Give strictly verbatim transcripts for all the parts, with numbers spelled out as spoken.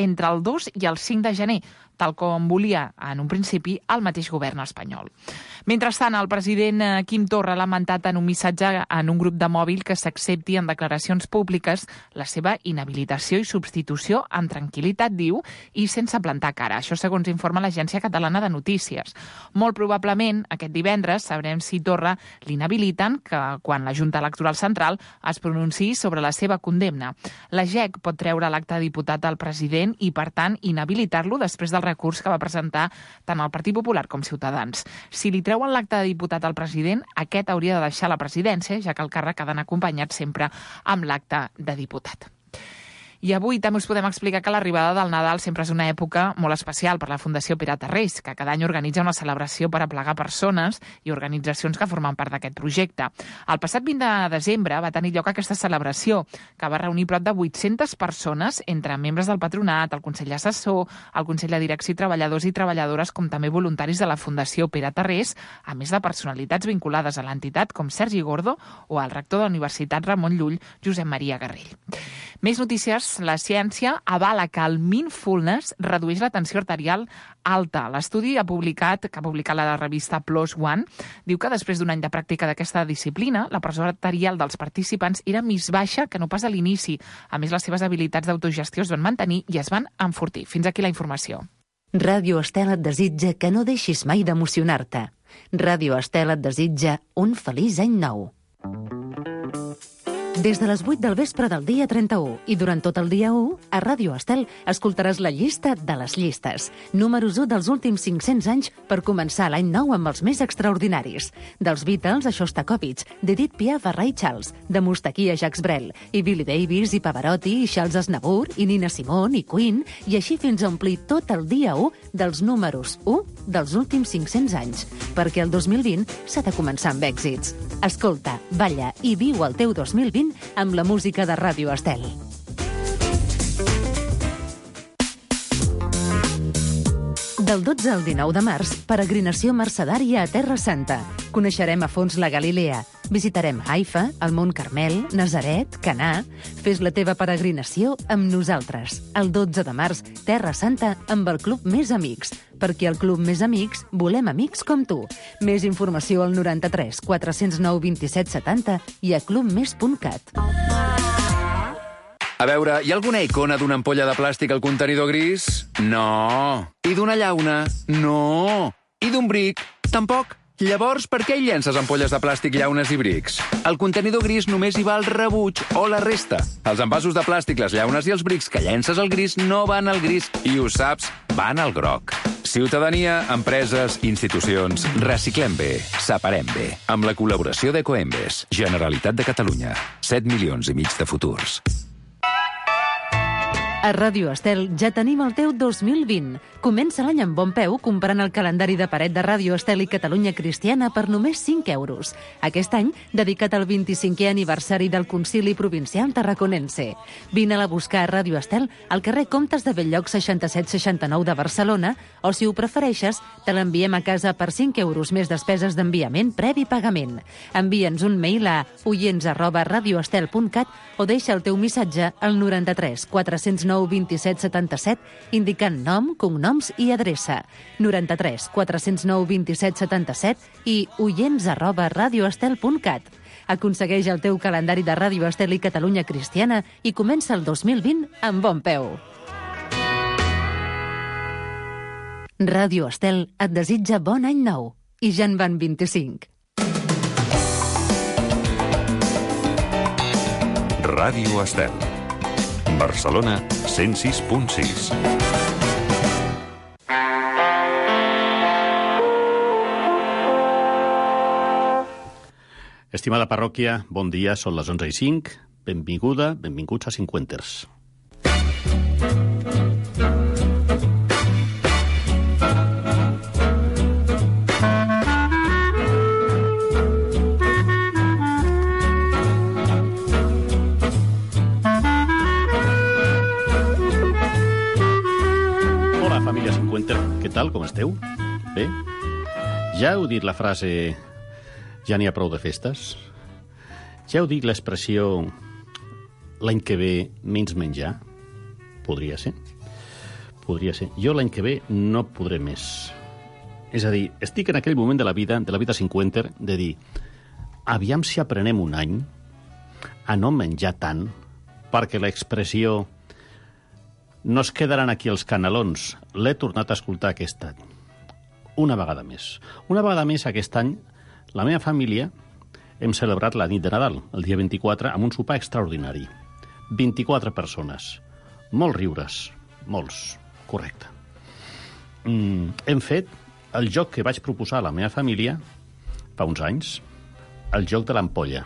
entre el dos i el cinc de gener, tal com volia en un principi el mateix govern espanyol. Mentrestant, el president Quim Torra ha lamentat en un missatge en un grup de mòbil que s'accepti en declaracions públiques la seva inhabilitació i substitució en tranquil·litat, diu, i sense plantar cara. Això segons informa l'Agència Catalana de Notícies. Molt probablement, aquest divendres, sabrem si Torra l'inhabiliten que quan la Junta Electoral Central es pronunciï sobre la seva condemna. La G E C pot treure l'acte de diputat al president i, per tant, inhabilitar-lo després del recurs que va presentar tant el Partit Popular com Ciutadans. Si li treuen l'acte de diputat al president, aquest hauria de deixar la presidència, ja que el càrrec ha d'anar acompanyat sempre amb l'acte de diputat. I avui també us podem explicar que l'arribada del Nadal sempre és una època molt especial per la Fundació Pere Tarrés, que cada any organitza una celebració per aplegar persones i organitzacions que formen part d'aquest projecte. El passat vint de desembre va tenir lloc aquesta celebració, que va reunir prop de vuit-centes persones entre membres del patronat, el Consell Assessor, el Consell de Direcció i treballadors i treballadores, com també voluntaris de la Fundació Pere Tarrés, a més de personalitats vinculades a l'entitat com Sergi Gordo o el rector de la Universitat Ramon Llull, Josep Maria Garrell. Més notícies. La ciència avala que el mindfulness redueix la tensió arterial alta. L'estudi ha publicat, que ha publicat la revista PLOS ONE diu que després d'un any de pràctica d'aquesta disciplina, la pressió arterial dels participants era més baixa que no pas a l'inici. A més, les seves habilitats d'autogestió es van mantenir i es van enfortir. Fins aquí la informació. Ràdio Estel et desitja que no deixis mai d'emocionar-te. Ràdio Estel et desitja un feliç any nou. Des de les vuit del vespre del dia trenta-u i durant tot el dia u, a Ràdio Estel escoltaràs la llista de les llistes. Números u dels últims cinc-cents anys per començar l'any nou amb els més extraordinaris. Dels Beatles a Shostakovich, d'Edith Piaf a Ray Charles, de Mustaquí a Jacques Brel, i Billy Davis i Pavarotti i Charles Aznavour i Nina Simone i Queen, i així fins a omplir tot el dia u dels números u dels últims cinc-cents anys. Perquè el dos mil vint s'ha de començar amb èxits. Escolta, balla i viu el teu dos mil vint amb la música de Ràdio Estel. Del dotze al dinou de març, peregrinació mercedària a Terra Santa. Coneixerem a fons la Galilea. Visitarem Haifa, el Mont Carmel, Nazaret, Canà. Fes la teva peregrinació amb nosaltres. El dotze de març, Terra Santa amb el Club Més Amics. Perquè al Club Més Amics volem amics com tu. Més informació al noranta-tres quatre zero nou vint-i-set setanta i a clubmes punt cat. A veure, hi ha alguna icona d'una ampolla de plàstic al contenidor gris? No. I d'una llauna? No. I d'un bric? Tampoc. Llavors, per què hi llences ampolles de plàstic, llaunes i brics? Al contenidor gris només hi va el rebuig o la resta. Els envasos de plàstic, les llaunes i els brics que llences al gris no van al gris i, ho saps, van al groc. Ciutadania, empreses, institucions, reciclem bé, separem bé. Amb la col·laboració d'Ecoembes, Generalitat de Catalunya. set milions i mig de futurs. A Ràdio Estel ja tenim el teu dos mil vint. Comença l'any amb bon peu comprant el calendari de paret de Ràdio Estel i Catalunya Cristiana per només cinc euros. Aquest any, dedicat al vint-i-cinquè aniversari del Concili Provincial Tarraconense. Vine-la a buscar a Ràdio Estel al carrer Comtes de Belllloc seixanta-set seixanta-nou de Barcelona o, si ho prefereixes, te l'enviem a casa per cinc euros més despeses d'enviament previ pagament. Envia'ns un mail a oients arroba radioestel punt cat o deixa el teu missatge al noranta-tres quatre zero nou vint-i-set setanta-set indicant nom, cognoms i adreça. noranta-tres quatre zero nou vint-i-set setanta-set i oients arroba radioestel punt cat. Aconsegueix el teu calendari de Ràdio Estel i Catalunya Cristiana i comença el dos mil vint amb bon peu. Ràdio Estel et desitja bon any nou. I ja en van vint-i-cinc. Ràdio Estel. Barcelona, cent sis punt sis. Estimada parròquia, bon dia, són les onze i cinc. Benvinguda, benvinguts a Cinquenters. Família Cinquenter, què tal, com esteu? Bé? Ja heu dit la frase ja n'hi ha prou de festes? Ja heu dit l'expressió l'any que ve menys menjar? Podria ser. Podria ser. Jo l'any que ve no podré més. És a dir, estic en aquell moment de la vida, de la vida cinquanta, de dir, aviam si aprenem un any a no menjar tant, perquè l'expressió no es quedaran aquí els canelons, l'he tornat a escoltar aquest any. Una vegada més. Una vegada més aquest any, la meva família hem celebrat la nit de Nadal, el dia vint-i-quatre, amb un sopar extraordinari. vint-i-quatre persones. Molts riures. Molts. Correcte. Mm, hem fet el joc que vaig proposar a la meva família fa uns anys, el joc de l'ampolla.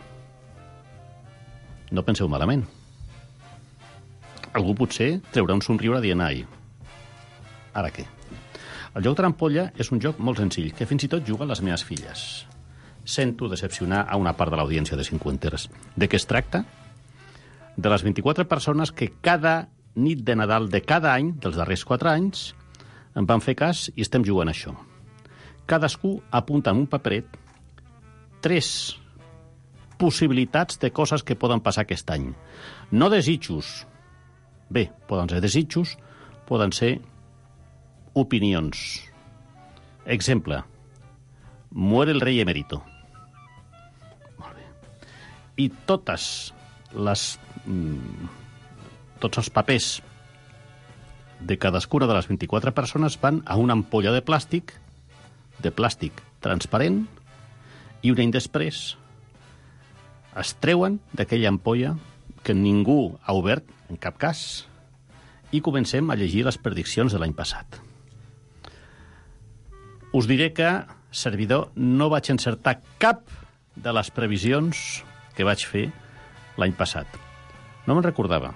No penseu malament. Algú potser treurà un somriure dient ai. Ara què? El joc de l'ampolla és un joc molt senzill, que fins i tot juguen les meves filles. Sento decepcionar a una part de l'audiència de cinquanteres. De què es tracta? De les vint-i-quatre persones que cada nit de Nadal de cada any, dels darrers quatre anys, em van fer cas i estem jugant a això. Cadascú apunta en un paperet tres possibilitats de coses que poden passar aquest any. No desitjos. Bé, poden ser desitjos, poden ser opinions. Exemple. Muere el rei emérito. Molt bé. I totes les... Mm, tots els papers de cadascuna de les vint-i-quatre persones van a una ampolla de plàstic, de plàstic transparent, i un any després es treuen d'aquella ampolla que ningú ha obert, en cap cas, i comencem a llegir les prediccions de l'any passat. Us diré que, servidor, no vaig encertar cap de les previsions que vaig fer l'any passat. No me'n recordava.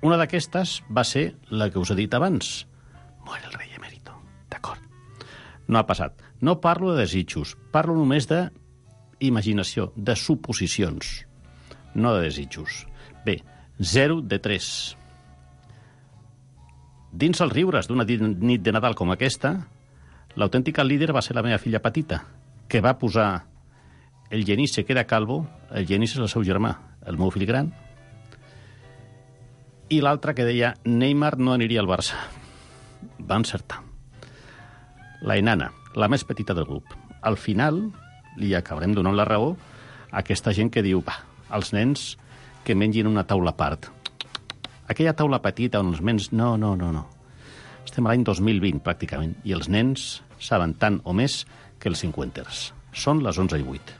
Una d'aquestes va ser la que us he dit abans. Muere el rei emérito. D'acord. No ha passat. No parlo de desitjos. Parlo només d'imaginació, de suposicions. No de desitjos. Bé, zero de tres. Dins els riures d'una nit de Nadal com aquesta, l'autèntica líder va ser la meva filla petita, que va posar el Genís se queda calvo, el Genís és el seu germà, el meu fill gran, i l'altre que deia Neymar no aniria al Barça. Va encertar. La enana, la més petita del grup. Al final li acabarem donant la raó a aquesta gent que diu va, els nens que mengin una taula a part. Aquella taula petita on els nens... No, no, no, no. Estem a l'any dos mil vint, pràcticament, i els nens saben tant o més que els cinquanters. Són les onze i vuit.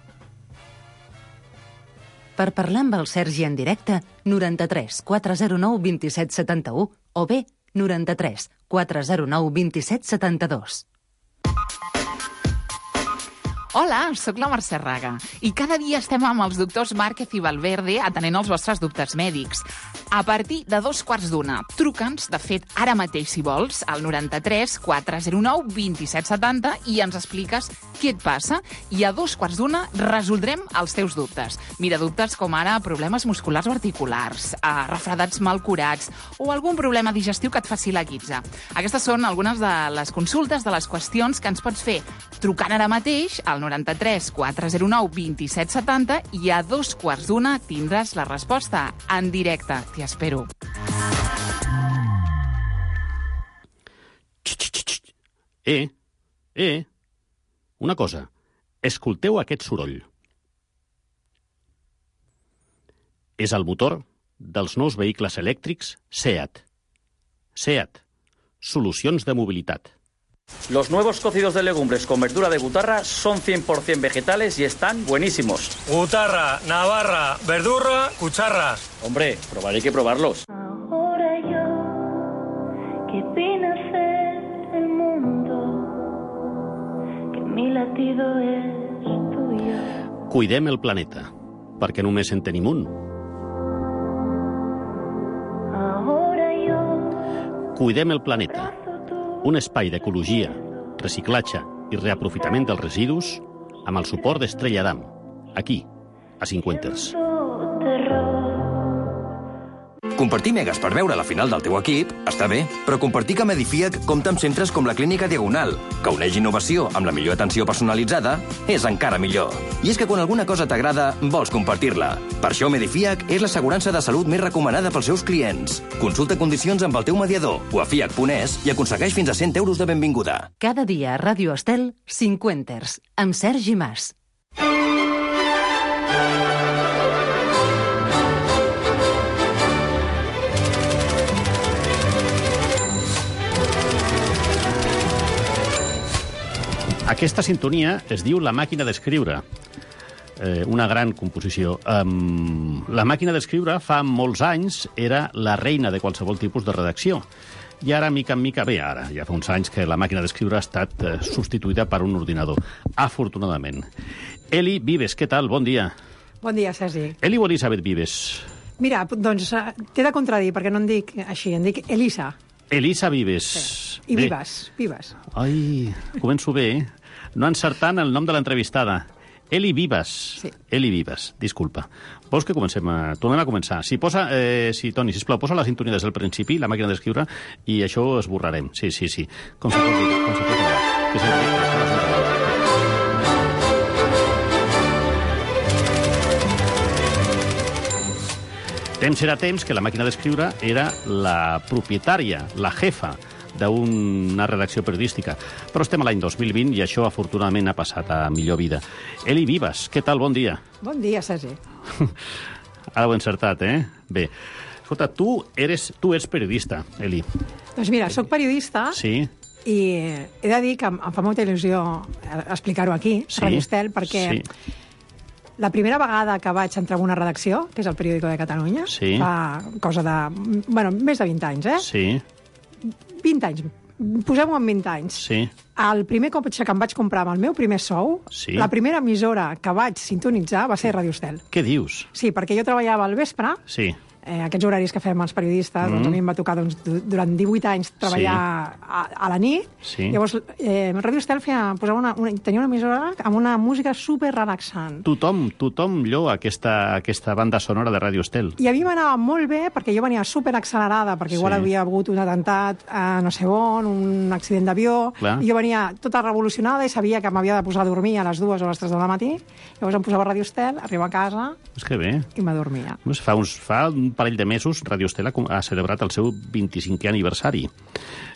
Per parlar amb el Sergi en directe, noranta-tres quatre zero nou vint set setanta-u o bé noranta-tres quatre zero nou vint set setanta-dos. Hola, sóc la Mercè Raga i cada dia estem amb els doctors Márquez i Valverde atenent els vostres dubtes mèdics. A partir de dos quarts d'una, truca'ns, de fet, ara mateix, si vols, al noranta-tres quatre zero nou vint set setanta i ens expliques què et passa i a dos quarts d'una resoldrem els teus dubtes. Mira, dubtes com ara problemes musculars o articulars, eh, refredats mal curats o algun problema digestiu que et faci la guitza. Aquestes són algunes de les consultes, de les qüestions que ens pots fer trucant ara mateix al noranta-tres quatre zero nou vint set setanta i a dos quarts d'una tindràs la resposta en directe. T'hi espero. Eh, eh, una cosa. Escolteu aquest soroll. És el motor dels nous vehicles elèctrics SEAT. SEAT. Solucions de mobilitat. Los nuevos cocidos de legumbres con verdura de Gutarra son cien por ciento vegetales y están buenísimos. Gutarra, Navarra, verdurra, cucharra. Hombre, probaré que probarlos. Ahora yo, que vine a ser el mundo, que mi latido es tuyo. Cuidem el planeta, perquè només en tenim un. Ahora yo, Cuidem el planeta. Un espai d'ecologia, reciclatge i reaprofitament dels residus amb el suport d'Estrella Damm, aquí, a Cinquanters. terror. Compartir megas per veure la final del teu equip està bé, però compartir que Medifiac compta amb centres com la Clínica Diagonal, que uneix innovació amb la millor atenció personalitzada, és encara millor. I és que quan alguna cosa t'agrada, vols compartir-la. Per això Medifiac és l'assegurança de salut més recomanada pels seus clients. Consulta condicions amb el teu mediador o a fiac punt es i aconsegueix fins a cent euros de benvinguda. Cada dia a Ràdio Estel, Cinquenters, amb Sergi Mas. Aquesta sintonia es diu La màquina d'escriure, eh, una gran composició. Um, la màquina d'escriure fa molts anys era la reina de qualsevol tipus de redacció. I ara, mica en mica, bé, ara, ja fa uns anys que la màquina d'escriure ha estat eh, substituïda per un ordinador, afortunadament. Eli Vives, què tal? Bon dia. Bon dia, Sergi. Eli o Elisabet Vives? Mira, doncs t'he de contradir, perquè no em dic així, em dic Elisa. Elisa Vives. Sí. I bé. Vives, Vives. Ai, començo bé, eh? No encertant el nom de l'entrevistada. Eli Vives. Sí. Eli Vives, disculpa. Vols que comencem a... Tornem a començar. Si posa... Eh, si, Toni, sisplau, posa la sintonia des del principi, la màquina d'escriure, i això esborrarem. Sí, sí, sí. Com se pot dir? Com se pot dir? Que és el Temps era temps que la màquina d'escriure era la propietària, la jefa, d'una redacció periodística. Però estem a l'any dos mil vint i això, afortunadament, ha passat a millor vida. Eli Vives, què tal? Bon dia. Bon dia, Sergi. Ara ho he encertat, eh? Bé. Escolta, tu eres, tu ets periodista, Eli. Doncs mira, sóc periodista. Sí. I he de dir que em fa molta il·lusió explicar-ho aquí, a sí, Radio Estel, perquè sí. La primera vegada que vaig entrar en una redacció, que és el Periódico de Catalunya, sí. fa cosa de... bueno, més de vint anys, eh? Sí. vint anys. Posem-ho en vint anys. Sí. El primer cotxe que em vaig comprar amb el meu primer sou, sí. La primera emissora que vaig sintonitzar va ser Radio Estel. Què dius? Sí, perquè jo treballava al vespre. Sí. Eh, aquests horaris que fem els periodistes, mm. doncs a mi em va tocar doncs, durant divuit anys treballar sí. a, a la nit. Sí. Llavors, eh, Radio Estel feia, posava una, una, tenia una emissora amb una música super relaxant. Tothom, tothom lloa aquesta, aquesta banda sonora de Radio Estel. I a mi m'anava molt bé perquè jo venia super accelerada, perquè igual sí. havia hagut un atemptat a no sé on, un accident d'avió, i jo venia tota revolucionada i sabia que m'havia de posar a dormir a les dues o a les tres del matí. Llavors em posava Radio Estel, arribava a casa és que bé. I m'adormia. Fa, uns, fa un parell de mesos Radio Estel ha celebrat el seu vint-i-cinquè aniversari.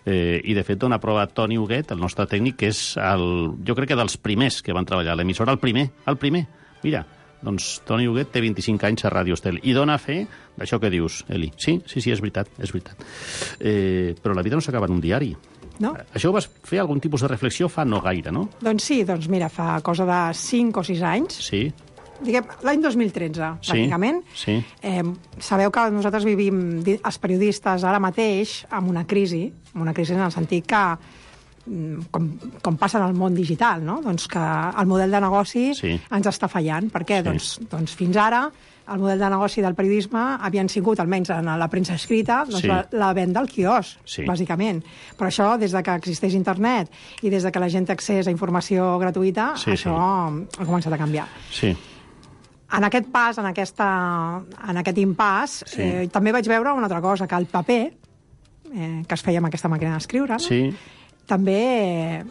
Eh, I, de fet, dona prova Toni Huguet, el nostre tècnic, que és, el, jo crec que dels primers que van treballar a l'emissora, el primer, el primer. Mira, doncs Toni Huguet té vint-i-cinc anys a Radio Estel i dona fe d'això que dius, Eli. Sí, sí, sí, és veritat, és veritat. Eh, però la vida no s'acaba en un diari. No? Això ho vas fer algun tipus de reflexió fa no gaire, no? Doncs sí, doncs mira, fa cosa de cinc o sis anys. Sí. Diguem, l'any dos mil tretze, sí, pràcticament. Sí. Eh, sabeu que nosaltres vivim, els periodistes, ara mateix, amb una crisi, amb una crisi en el sentit que, com, com passa en el món digital, no? Doncs que el model de negoci sí. ens està fallant. Per què? Sí. Doncs, doncs fins ara el model de negoci del periodisme havien sigut, almenys en la premsa escrita, doncs sí. la, la venda al quiosc, sí. bàsicament. Però això, des de que existeix internet i des de que la gent té accés a informació gratuïta, sí, això sí. ha començat a canviar. Sí. En aquest pas, en, aquesta, en aquest impàs, sí. eh, també vaig veure una altra cosa, que el paper, eh, que es feia amb aquesta màquina d'escriure, no? sí. també eh,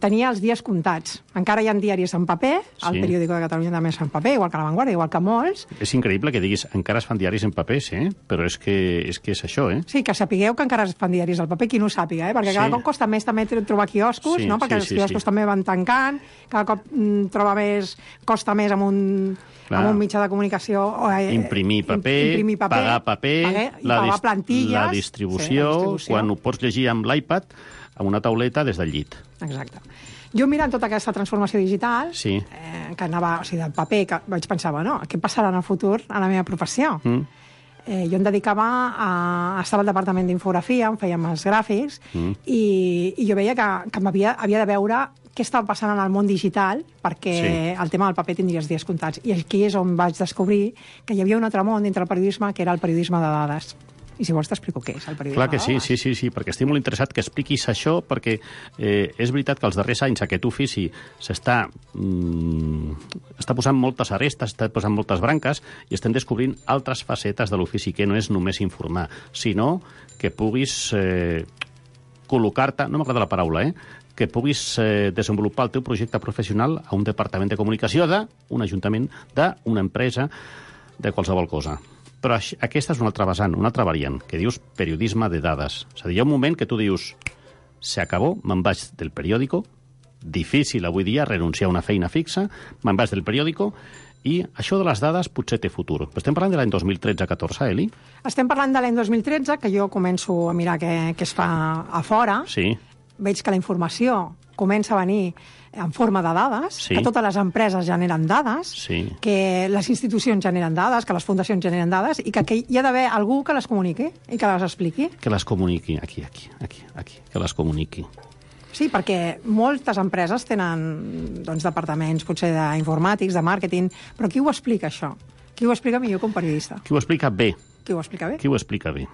tenia els dies comptats. Encara hi ha diaris en paper, el sí. Periódico de Catalunya també és en paper, igual que La Vanguardia, igual que molts. És increïble que diguis, encara es fan diaris en paper, sí, però és que és, que és això, eh? Sí, que sapigueu que encara es fan diaris al paper, qui no ho sàpiga, eh? Perquè sí. cada cop costa més també trobar quioscos, sí, no? Perquè sí, els quioscos sí, sí. també van tancant, cada cop mm, troba més, costa més amb un... Clar. Amb un mitjà de comunicació... Eh, imprimir paper, imprimir paper pagar paper, pagar, la, pagar plantilles... La distribució, sí, la distribució, quan ho pots llegir amb l'iPad, amb una tauleta des del llit. Exacte. Jo mirant tota aquesta transformació digital, sí. eh, que anava, o sigui, del paper, que vaig pensar, bueno, què passarà en el futur a la meva professió? Mm. Eh, jo em dedicava a... Estava al departament d'infografia, em fèiem els gràfics, mm. i, i jo veia que, que m'havia havia de veure què estava passant en el món digital, perquè sí. el tema del paper tindria els dies comptats. I aquí és on vaig descobrir que hi havia un altre món dintre el periodisme, que era el periodisme de dades. I si vols t'explico què és el periodisme Clar que de sí, dades. sí, sí, sí, perquè estic molt interessat que expliquis això, perquè eh, és veritat que els darrers anys aquest ofici s'està mm, està posant moltes arestes, està posant moltes branques, i estem descobrint altres facetes de l'ofici, que no és només informar, sinó que puguis eh, col·locar-te, no m'agrada la paraula, eh, que puguis eh, desenvolupar el teu projecte professional a un departament de comunicació d'un ajuntament, d'una empresa, de qualsevol cosa. Però això, aquesta és una altra vessant, una altra variant, que dius periodisme de dades. És a dir, hi ha un moment que tu dius se acabó, me'n vaig del periòdico, difícil avui dia renunciar a una feina fixa, me'n vaig del periòdico, i això de les dades potser té futur. Però estem parlant de l'any dos mil tretze catorze, Eli? Estem parlant de l'any dos mil tretze, que jo començo a mirar què, què es fa a fora. Sí. Veig que la informació comença a venir en forma de dades, Sí. que totes les empreses generen dades, Sí. que les institucions generen dades, que les fundacions generen dades, i que, que hi ha d'haver algú que les comuniqui i que les expliqui. Que les comuniqui, aquí, aquí, aquí, aquí, que les comuniqui. Sí, perquè moltes empreses tenen doncs, departaments, potser d'informàtics, de màrqueting, però qui ho explica, això? Qui ho explica millor que un periodista? Qui ho explica bé. Qui ho explica bé? Qui ho explica bé.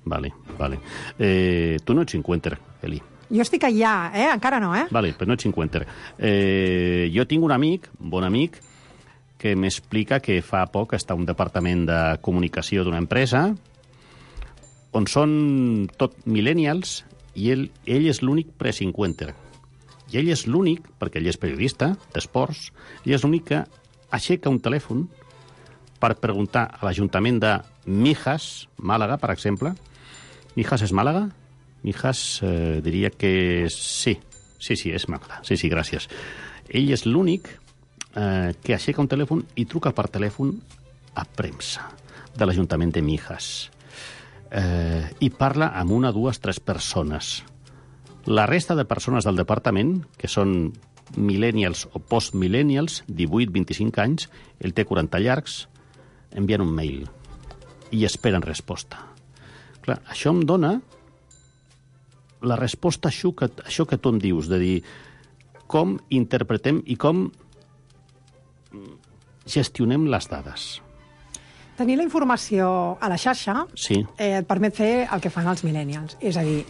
Vale, vale. Eh, tu no ets cinquenter, Eli. Jo estic allà, eh? Encara no, eh? Vale, però no ets cinquenter. Eh, jo tinc un amic, un bon amic, que m'explica que fa poc està a un departament de comunicació d'una empresa on són tot millennials i ell, ell és l'únic pre-cinquenter. I ell és l'únic, perquè ell és periodista d'esports, ell és l'únic que aixeca un telèfon per preguntar a l'Ajuntament de Mijas, Màlaga, per exemple. Mijas és Màlaga? Mijas eh, diria que sí. Sí, sí, és Màlaga. Sí, sí, gràcies. Ell és l'únic eh, que aixeca un telèfon i truca per telèfon a premsa de l'Ajuntament de Mijas. Eh, I parla amb una, dues, tres persones. La resta de persones del departament, que són millennials o post-millennials, divuit a vint-i-cinc anys, ell té quaranta llargs, envien un mail i esperen resposta. Clar, això em dona la resposta a això que, això que tu em dius, de dir com interpretem i com gestionem les dades. Tenir la informació a la xarxa Sí. eh, et permet fer el que fan els millennials. És a dir,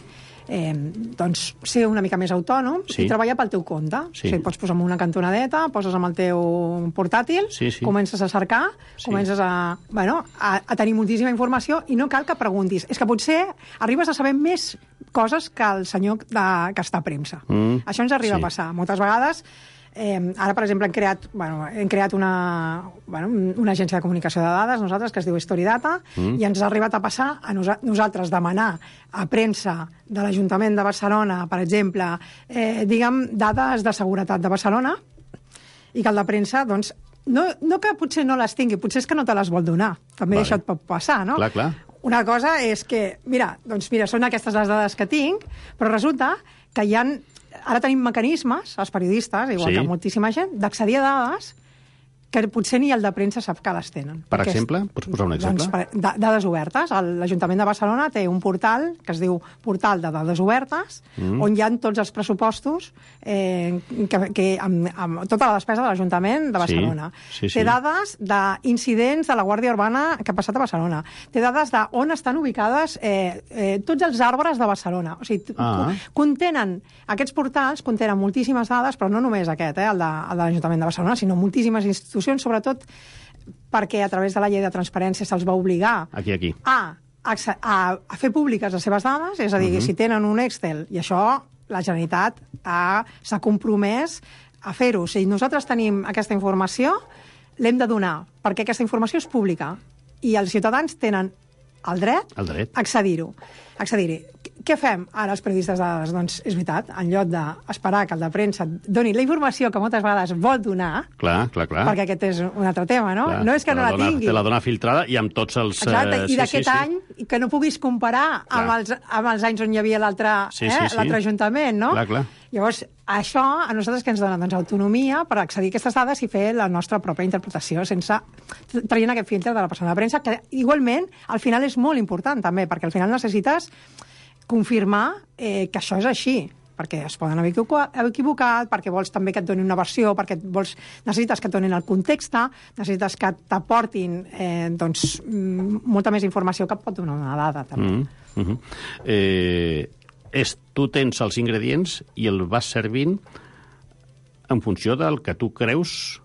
eh, doncs, ser una mica més autònom Sí. i treballar pel teu compte. Sí. O sigui, pots posar en una cantonadeta, poses amb el teu portàtil, Sí, sí. comences a cercar, Sí. comences a, bueno, a, a tenir moltíssima informació i no cal que preguntis. És que potser arribes a saber més coses que el senyor de, que està a premsa. Mm, Això ens arriba sí. a passar. Moltes vegades Eh, ara, per exemple, hem creat, bueno, hem creat una, bueno, una agència de comunicació de dades, nosaltres, que es diu Storidata, mm. i ens ha arribat a passar a nosa nosaltres demanar a premsa de l'Ajuntament de Barcelona, per exemple, eh, diguem, dades de seguretat de Barcelona, i que el de premsa, doncs, no, no que potser no les tingui, potser és que no te les vol donar. També Vale. això et pot passar, no? Clar, clar. Una cosa és que, mira, doncs mira, són aquestes les dades que tinc, però resulta que hi ha... Ara tenim mecanismes, els periodistes, igual Sí. que moltíssima gent, d'accedir a dades que potser ni el de premsa sap que les tenen. Per Perquè és- exemple? Pots posar un exemple? Doncs, per, da- dades obertes. El- L'Ajuntament de Barcelona té un portal que es diu Portal de Dades Obertes, Mm. on hi ha tots els pressupostos, eh, que, que, amb, amb tota la despesa de l'Ajuntament de Sí, Barcelona. sí, sí. Té dades d'incidents de la Guàrdia Urbana que ha passat a Barcelona. Té dades d'on estan ubicades eh, eh, tots els arbres de Barcelona. O sigui, Ah. contenen, aquests portals contenen moltíssimes dades, però no només aquest, eh, el de, el de l'Ajuntament de Barcelona, sinó moltíssimes institucions, sobretot perquè a través de la llei de transparència se'ls va obligar Aquí, aquí. a, a, a fer públiques les seves dades, és a dir, uh -huh. si tenen un Excel, i això la Generalitat ha- s'ha compromès a fer-ho. O sigui, nosaltres tenim aquesta informació, l'hem de donar, perquè aquesta informació és pública i els ciutadans tenen el dret El dret. a accedir-ho. Accedir-hi. Què fem ara els periodistes de dades? Doncs és veritat, en lloc d'esperar que el de premsa doni la informació que moltes vegades vol donar, Clar, clar, clar. perquè aquest és un altre tema, no? Clar, No és que te no la dona, tingui. Te la dona filtrada i amb tots els... Exacte, eh, i sí, d'aquest sí, sí. any, i que no puguis comparar amb Clar. els, amb els anys on hi havia l'altre Sí, eh, sí, sí. l'altre ajuntament, no? Clar, clar. Llavors, això a nosaltres que ens dona doncs, autonomia per accedir a aquestes dades i fer la nostra pròpia interpretació sense traient aquest filtre de la persona de premsa, que igualment al final és molt important també, perquè al final necessites confirmar eh, que això és així. perquè es poden haver equivocat, perquè vols també que et donin una versió, perquè vols, necessites que et donin el context, necessites que t'aportin eh, doncs, molta més informació que et pot donar una dada, també. Mm -hmm. eh, és, tu tens els ingredients i el vas servint en funció del que tu creus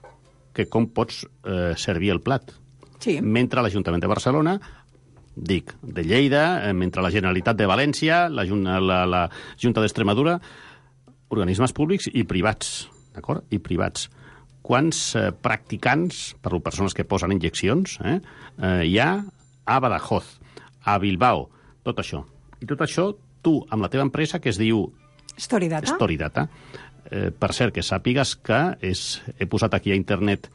que com pots eh, servir el plat. Sí. Mentre l'Ajuntament de Barcelona, dic, de Lleida, eh, mentre la Generalitat de València, la, la, la Junta d'Extremadura, organismes públics i privats, d'acord? I privats. Quants eh, practicants, per persones que posen injeccions, eh, eh, hi ha a Badajoz, a Bilbao, tot això. I tot això, tu, amb la teva empresa, que es diu Storydata, Storydata. Eh, per cert, que sàpigues que és, he posat aquí a internet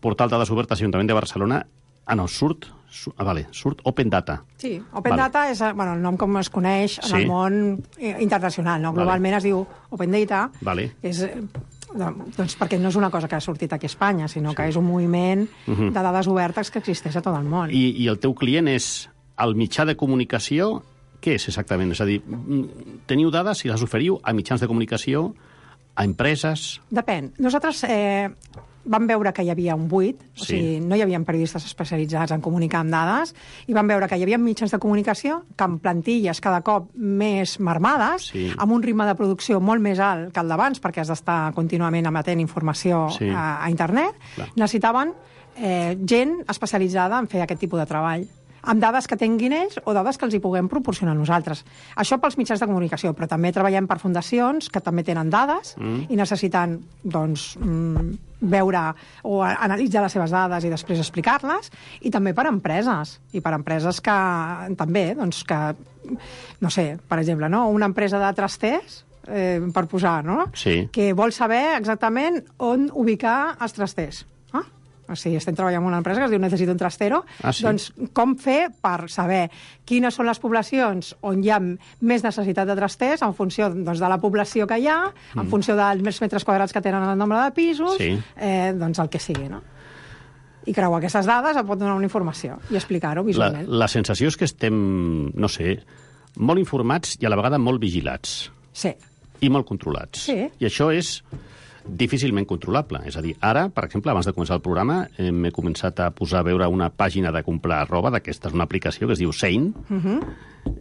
portal dades obertes Ajuntament de Barcelona. Ah, no, surt, surt, ah, vale, surt Open Data. Sí, Open vale. Data és bueno, el nom com es coneix en sí. el món internacional, no? Globalment vale. Es diu Open Data. Vale. És, doncs perquè no és una cosa que ha sortit aquí a Espanya, sinó sí. que és un moviment uh -huh. de dades obertes que existeix a tot el món. I, I el teu client és el mitjà de comunicació? Què és exactament? És a dir, teniu dades i les oferiu a mitjans de comunicació, a empreses? Depèn. Nosaltres eh, vam veure que hi havia un buit, sí. o sigui, no hi havia periodistes especialitzats en comunicar amb dades, i vam veure que hi havia mitjans de comunicació que amb plantilles cada cop més marmades, sí. amb un ritme de producció molt més alt que el d'abans, perquè has d'estar contínuament emetent informació sí. a, a internet, Clar. necessitaven eh, gent especialitzada en fer aquest tipus de treball, amb dades que tinguin ells o dades que els hi puguem proporcionar nosaltres. Això pels mitjans de comunicació, però també treballem per fundacions que també tenen dades mm. i necessiten doncs, veure o analitzar les seves dades i després explicar-les, i també per empreses, i per empreses que també, doncs, que, no sé, per exemple, no? una empresa de trasters, eh, per posar, no? Sí. que vol saber exactament on ubicar els trasters. O sigui, estem treballant en una empresa que es diu Necessito un trastero. Ah, sí? Doncs com fer per saber quines són les poblacions on hi ha més necessitat de trasters en funció doncs, de la població que hi ha, mm. en funció dels metres quadrats que tenen el nombre de pisos, sí. eh, doncs el que sigui, no? I creuar aquestes dades em pot donar una informació i explicar-ho visualment. La, la sensació és que estem, no sé, molt informats i a la vegada molt vigilats. Sí. I molt controlats. Sí. I això és difícilment controlable. És a dir, ara, per exemple, abans de començar el programa, eh, m'he començat a posar a veure una pàgina de comprar roba, d'aquesta és una aplicació que es diu Shein, uh -huh.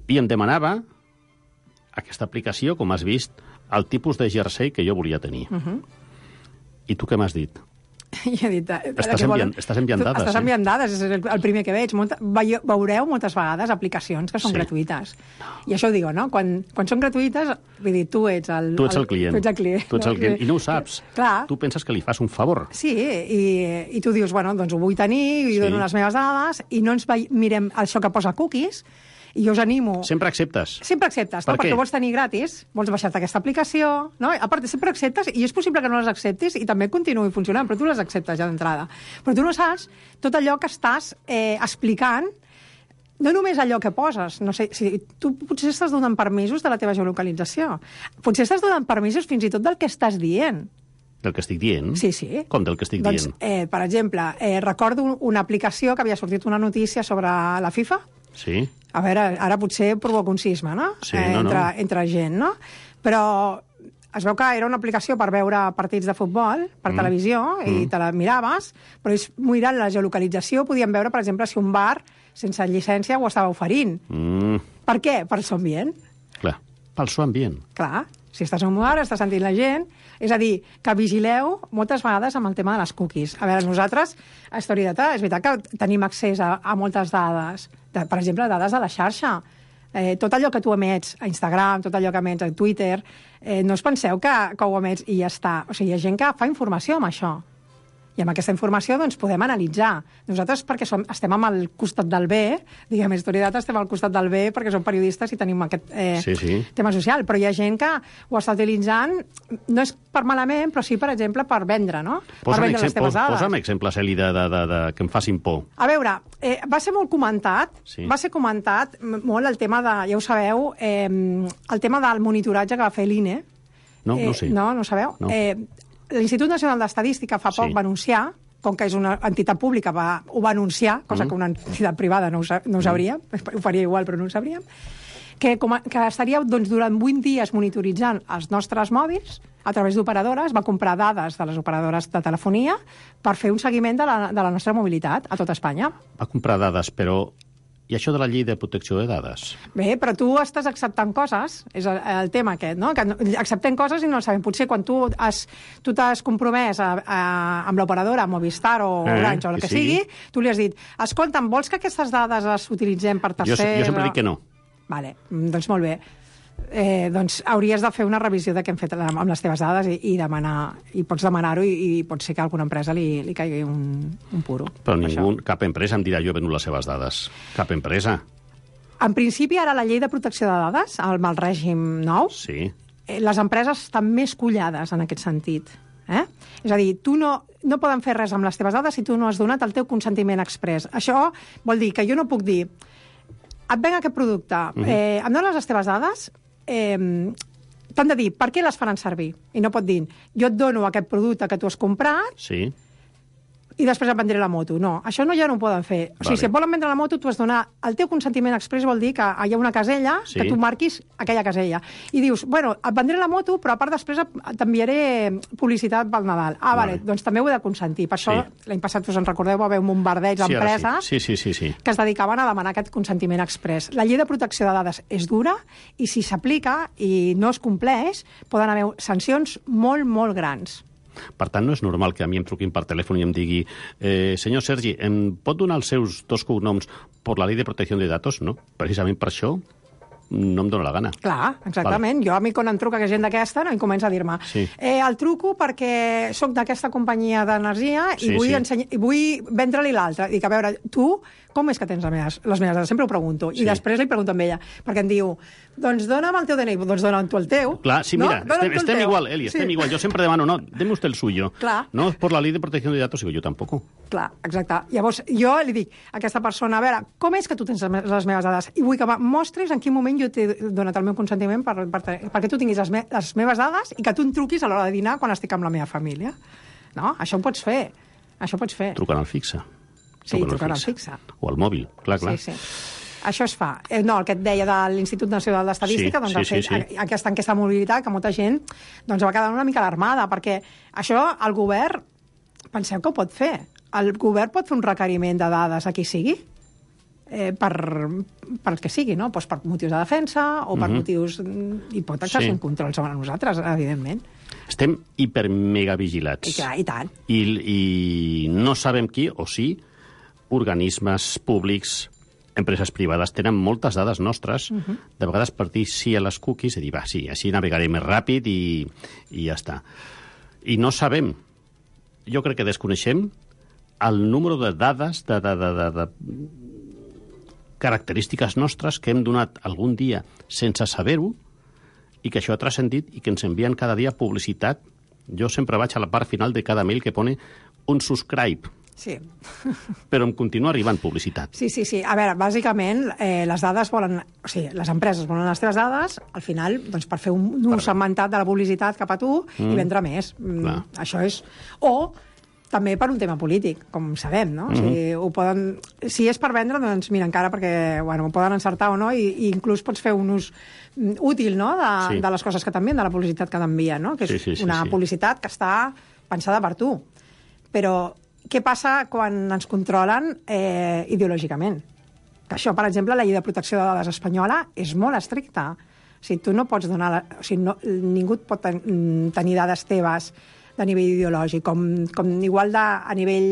i em demanava aquesta aplicació, com has vist, el tipus de jersei que jo volia tenir. Uh -huh. I tu què m'has dit? I he dit... Estàs enviant, estàs enviant dades. Estàs enviant dades, és el, el primer que veig. Molta, veureu moltes vegades aplicacions que són sí. gratuïtes. I això ho digo, no? Quan, quan són gratuïtes, vull dir, tu ets el... Tu ets el client. Tu ets el client. Tu ets el client. I no ho saps. Clar. Tu penses que li fas un favor. Sí, i, i tu dius, bueno, doncs ho vull tenir, i sí. dono les meves dades, i no ens mirem això que posa cookies, i jo us animo... Sempre acceptes. Sempre acceptes, per no? Perquè vols tenir gratis, vols baixar-te aquesta aplicació, no? A part, sempre acceptes, i és possible que no les acceptis i també continuï funcionant, però tu les acceptes ja d'entrada. Però tu no saps tot allò que estàs eh, explicant, no només allò que poses, no sé, si tu potser estàs donant permisos de la teva geolocalització, potser estàs donant permisos fins i tot del que estàs dient. Del que estic dient? Sí, sí. Com del que estic doncs, dient? Eh, per exemple, eh, recordo una aplicació que havia sortit una notícia sobre la FIFA. Sí. A veure, ara potser provoca un sisme, no? Sí, eh, no, entre, no. entre gent, no? Però es veu que era una aplicació per veure partits de futbol per mm. televisió i mm. te la miraves, però és mirant la geolocalització podíem veure, per exemple, si un bar sense llicència ho estava oferint. Mm. Per què? Per el so ambient. Clar, pel so ambient. Clar, si estàs en un bar, estàs sentint la gent. És a dir, que vigileu moltes vegades amb el tema de les cookies. A veure, nosaltres, a Storydata, és veritat que tenim accés a, a moltes dades, de, per exemple, dades de la xarxa. Eh, tot allò que tu emets a Instagram, tot allò que emets a Twitter, eh, no us penseu que, que ho emets i ja està. O sigui, hi ha gent que fa informació amb això. I amb aquesta informació doncs, podem analitzar. Nosaltres, perquè som, estem amb el costat del bé, diguem, a Storydata estem al costat del bé perquè som periodistes i tenim aquest eh, sí, sí. tema social, però hi ha gent que ho està utilitzant, no és per malament, però sí, per exemple, per vendre, no? Posa'm per vendre exemple, les teves dades. Posa'm exemples, Eli, de, de, de, de, que em facin por. A veure, eh, va ser molt comentat, sí. va ser comentat molt el tema de, ja ho sabeu, eh, el tema del monitoratge que va fer l'I N E. No, eh, no sé. No, no ho sabeu? No. Eh, L'Institut Nacional d'Estadística fa poc sí. va anunciar, com que és una entitat pública, va, ho va anunciar, cosa mm. que una entitat privada no ho, no ho sabria, mm. ho faria igual, però no ho sabríem, que, com a, que estaria doncs, durant vuit dies monitoritzant els nostres mòbils a través d'operadores, va comprar dades de les operadores de telefonia per fer un seguiment de la, de la nostra mobilitat a tot Espanya. Va comprar dades, però... I això de la llei de protecció de dades? Bé, però tu estàs acceptant coses, és el, el tema aquest, no? Que acceptem coses i no el sabem. Potser quan tu has, tu t'has compromès a, a, amb l'operadora Movistar o eh, Orange o el que, que sigui, sigui, tu li has dit, escolta'm, vols que aquestes dades les utilitzem per tercers? Jo, jo sempre dic que no. Vale, doncs molt bé. Eh, doncs hauries de fer una revisió de què hem fet amb les teves dades i, i demanar, i pots demanar-ho i, i pot ser que a alguna empresa li, li caigui un, un puro. Però ningú, cap empresa em dirà jo he venut les seves dades. Cap empresa. En principi, ara la llei de protecció de dades, amb el règim nou, sí. eh, les empreses estan més collades en aquest sentit. Eh? És a dir, tu no, no poden fer res amb les teves dades si tu no has donat el teu consentiment exprés. Això vol dir que jo no puc dir et venc aquest producte, uh-huh. eh, em dones les teves dades, eh, t'han de dir per què les faran servir. I no pot dir, jo et dono aquest producte que tu has comprat sí. i després em vendré la moto. No, això no ja no ho poden fer. O sigui, vale. Si et volen vendre la moto, tu has de donar... El teu consentiment exprés vol dir que hi ha una casella, sí. que tu marquis aquella casella. I dius, bueno, et vendré la moto, però a part després t'enviaré publicitat pel Nadal. Ah, vale, vale doncs també ho he de consentir. Per això, sí. l'any passat, us en recordeu, va haver un bombardeig sí, d'empreses sí. Sí, sí, sí, sí. que es dedicaven a demanar aquest consentiment exprés. La llei de protecció de dades és dura i si s'aplica i no es compleix, poden haver sancions molt, molt grans. Per tant, no és normal que a mi em truquin per telèfon i em digui eh, senyor Sergi, em pot donar els seus dos cognoms per la llei de protecció de datos? No, precisament per això no em dóna la gana. Clar, exactament. Vale. Jo a mi quan em truca gent d'aquesta no em comença a dir-me sí. eh, el truco perquè sóc d'aquesta companyia d'energia i, sí, vull sí. ensenya... i vull vendre-li l'altra. Dic, a veure, tu com és que tens les meves, les meves dades? Sempre ho pregunto. I sí. després li pregunto amb ella, perquè em diu, doncs dona'm el teu D N I. Doncs dona'm tu el teu. Clar, sí, mira, no? estem, estem igual, Eli, estem sí. igual. Jo sempre demano, no, deme usted el suyo. Clar. No, por la ley de protección de datos, digo, yo tampoco. Clar, exacte. Llavors, jo li dic a aquesta persona, a veure, com és que tu tens les meves dades? I vull que em mostris en quin moment jo t'he donat el meu consentiment per, per, perquè tu tinguis les, me, les meves dades i que tu em truquis a l'hora de dinar quan estic amb la meva família. No? Això ho pots fer. Això ho pots fer. Trucant al fixe. Sí, trucant al fixe. O al mòbil, clar, clar. Sí, sí. Això es fa. Eh, no, el que et deia de l'Institut Nacional d'Estadística, sí, doncs sí, ha fet sí, sí. aquesta enquesta de mobilitat que molta gent doncs, va quedar una mica alarmada, perquè això el govern, penseu que ho pot fer. El govern pot fer un requeriment de dades a qui sigui, eh, per, per el que sigui, no? Pues per motius de defensa o per uh-huh. motius... I pot exercir sí. un control sobre nosaltres, evidentment. Estem hipermegavigilats. I clar, i tant. I, I no sabem qui, o sí, organismes públics, empreses privades, tenen moltes dades nostres, uh-huh. de vegades per dir sí a les cookies, i dir, va, sí, així navegaré més ràpid i, i ja està. I no sabem, jo crec que desconeixem el número de dades, de, de, de, de, de característiques nostres que hem donat algun dia sense saber-ho i que això ha transcendit i que ens envien cada dia publicitat. Jo sempre vaig a la part final de cada mail que pone un subscribe. Sí. Però em continua arribant publicitat. Sí, sí, sí. A veure, bàsicament, eh, les dades volen... O sigui, les empreses volen les teves dades, al final, doncs, per fer un ús segmentat de la publicitat cap a tu mm. i vendre més. Mm, això és... O també per un tema polític, com sabem, no? Mm-hmm. O sigui, ho poden... Si és per vendre, doncs mira, encara perquè, bueno, ho poden encertar o no, i, i inclús pots fer un ús útil, no?, de, sí. de les coses que t'envien, de la publicitat que t'envien, no? Que és sí, sí, sí, una sí. publicitat que està pensada per tu. Però què passa quan ens controlen eh, ideològicament? Que això, per exemple, la llei de protecció de dades espanyola és molt estricta. O sigui, tu no pots donar... La... O sigui, no, ningú pot ten... tenir dades teves de nivell ideològic, com, com igual de, a nivell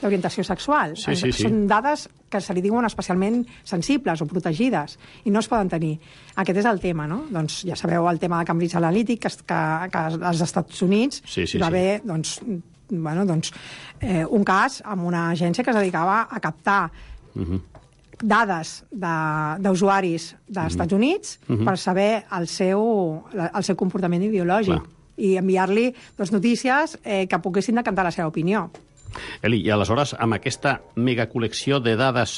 d'orientació sexual. Sí, sí, sí. Són dades que se li diuen especialment sensibles o protegides i no es poden tenir. Aquest és el tema, no? Doncs ja sabeu el tema de Cambridge Analytica, que, que, que als Estats Units sí, sí, va haver, sí. doncs, bueno, doncs, eh, un cas amb una agència que es dedicava a captar uh-huh. dades d'usuaris de, dels Estats uh-huh. Units uh-huh. per saber el seu, el seu comportament ideològic. Clar. I enviar-li doncs, notícies eh, que poguessin decantar la seva opinió. Eli, i aleshores, amb aquesta megacol·lecció de dades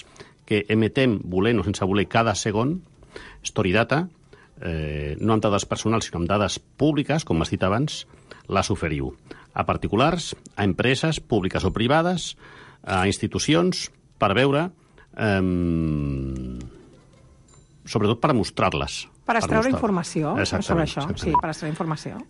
que emetem, volent o sense voler, cada segon, Storidata, eh, no amb dades personals, sinó amb dades públiques, com has dit abans, les oferiu a particulars, a empreses públiques o privades, a institucions, per veure eh, sobretot per mostrar-les. Per extreure mostrar informació sobre això. Exactament. Sí, per extreure informació.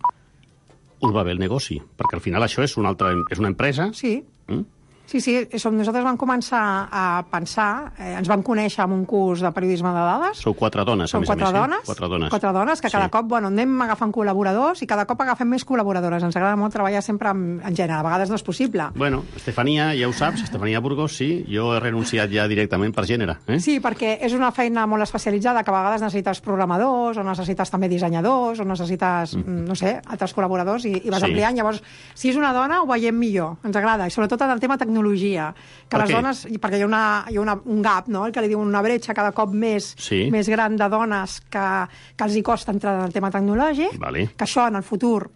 Us va bé el negoci, perquè al final això és una, altra, és una empresa. Sí. Mm? Sí, sí, som, nosaltres vam començar a pensar, eh, ens vam conèixer en un curs de periodisme de dades. Sou quatre dones, a Som més a quatre més. dones, Eh? Quatre dones. Quatre dones, que cada Sí. cop, bueno, anem agafant col·laboradors i cada cop agafem més col·laboradores. Ens agrada molt treballar sempre en, en gènere, a vegades no és possible. Bueno, Estefania, ja ho saps, Estefania Burgos, sí, jo he renunciat ja directament per gènere. Eh? Sí, perquè és una feina molt especialitzada, que a vegades necessites programadors, o necessites també dissenyadors, o necessites, mm. no sé, altres col·laboradors, i, i vas Sí. ampliant. Llavors, si és una dona, ho veiem millor, ens agrada, i sobretot en el tema tecnologia, que Per les què? dones, perquè hi ha, una, hi ha una, un gap, no?, el que li diuen una bretxa cada cop més, Sí. més gran de dones que, que els hi costa entrar en el tema tecnològic, Vale. que això en el futur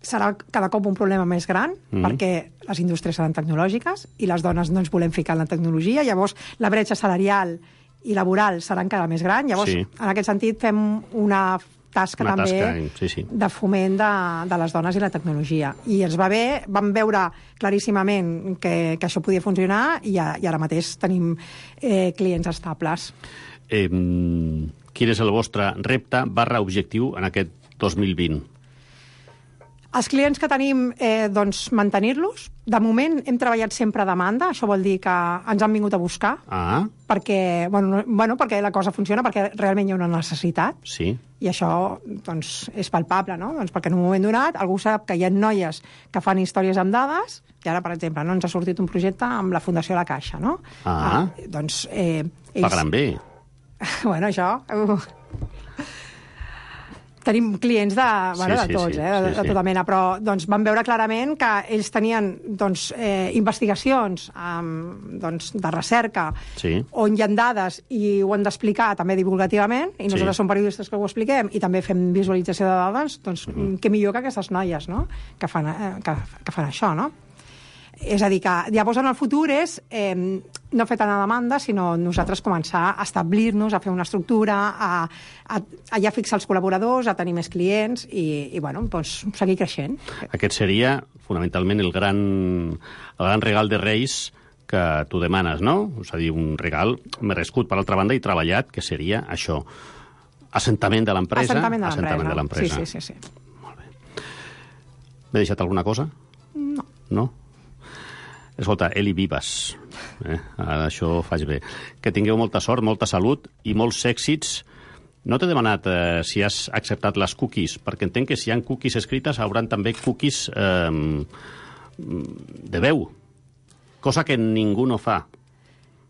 serà cada cop un problema més gran, Mhm. perquè les indústries seran tecnològiques i les dones no ens volem ficar en la tecnologia, llavors la bretxa salarial i laboral serà encara més gran. Llavors, Sí. en aquest sentit, fem una tasca Una també tasca, sí, sí. de foment de, de les dones i la tecnologia. I ens va bé, vam veure claríssimament que, que això podia funcionar i, a, i ara mateix tenim eh, clients estables. Eh, quin és el vostre repte barra objectiu en aquest dos mil vint? Els clients que tenim, eh, doncs, mantenir-los. De moment hem treballat sempre a demanda, això vol dir que ens han vingut a buscar, Ah, perquè, bueno, no- bueno, perquè la cosa funciona, perquè realment hi ha una necessitat, sí. i això doncs, és palpable, no? Doncs perquè en un moment donat algú sap que hi ha noies que fan històries amb dades, i ara, per exemple, no, ens ha sortit un projecte amb la Fundació La Caixa, no? Ah. Eh, doncs... Eh, Pagaran bé. Bueno, això... Uh, tenim clients de, bueno, Sí, de sí, tots, sí, eh, de, sí, de sí. tota mena, però doncs, vam veure clarament que ells tenien doncs, eh, investigacions um, doncs, de recerca Sí. on hi ha dades i ho han d'explicar també divulgativament, i nosaltres Sí. som periodistes que ho expliquem i també fem visualització de dades, doncs mm. què millor que aquestes noies, no?, que fan, eh, que, que fan això, no? És a dir, que llavors en el futur és eh, no fer tant a demanda, sinó nosaltres començar a establir-nos, a fer una estructura, a, a, a ja fixar els col·laboradors, a tenir més clients i, i bueno, doncs, seguir creixent. Aquest seria, fonamentalment, el gran, el gran regal de Reis que tu demanes, no? És a dir, un regal merescut, per altra banda, i treballat, que seria això. Assentament de l'empresa. Assentament de l'empresa. Assentament de l'empresa. Sí, sí, sí, sí. Molt bé. M'he deixat alguna cosa? No. No? Escolta, Eli Vives, eh? Ara això faig bé. Que tingueu molta sort, molta salut i molts èxits. No t'he demanat eh, si has acceptat les cookies, perquè entenc que si hi ha cookies escrites hauran també cookies eh, de veu, cosa que ningú no fa.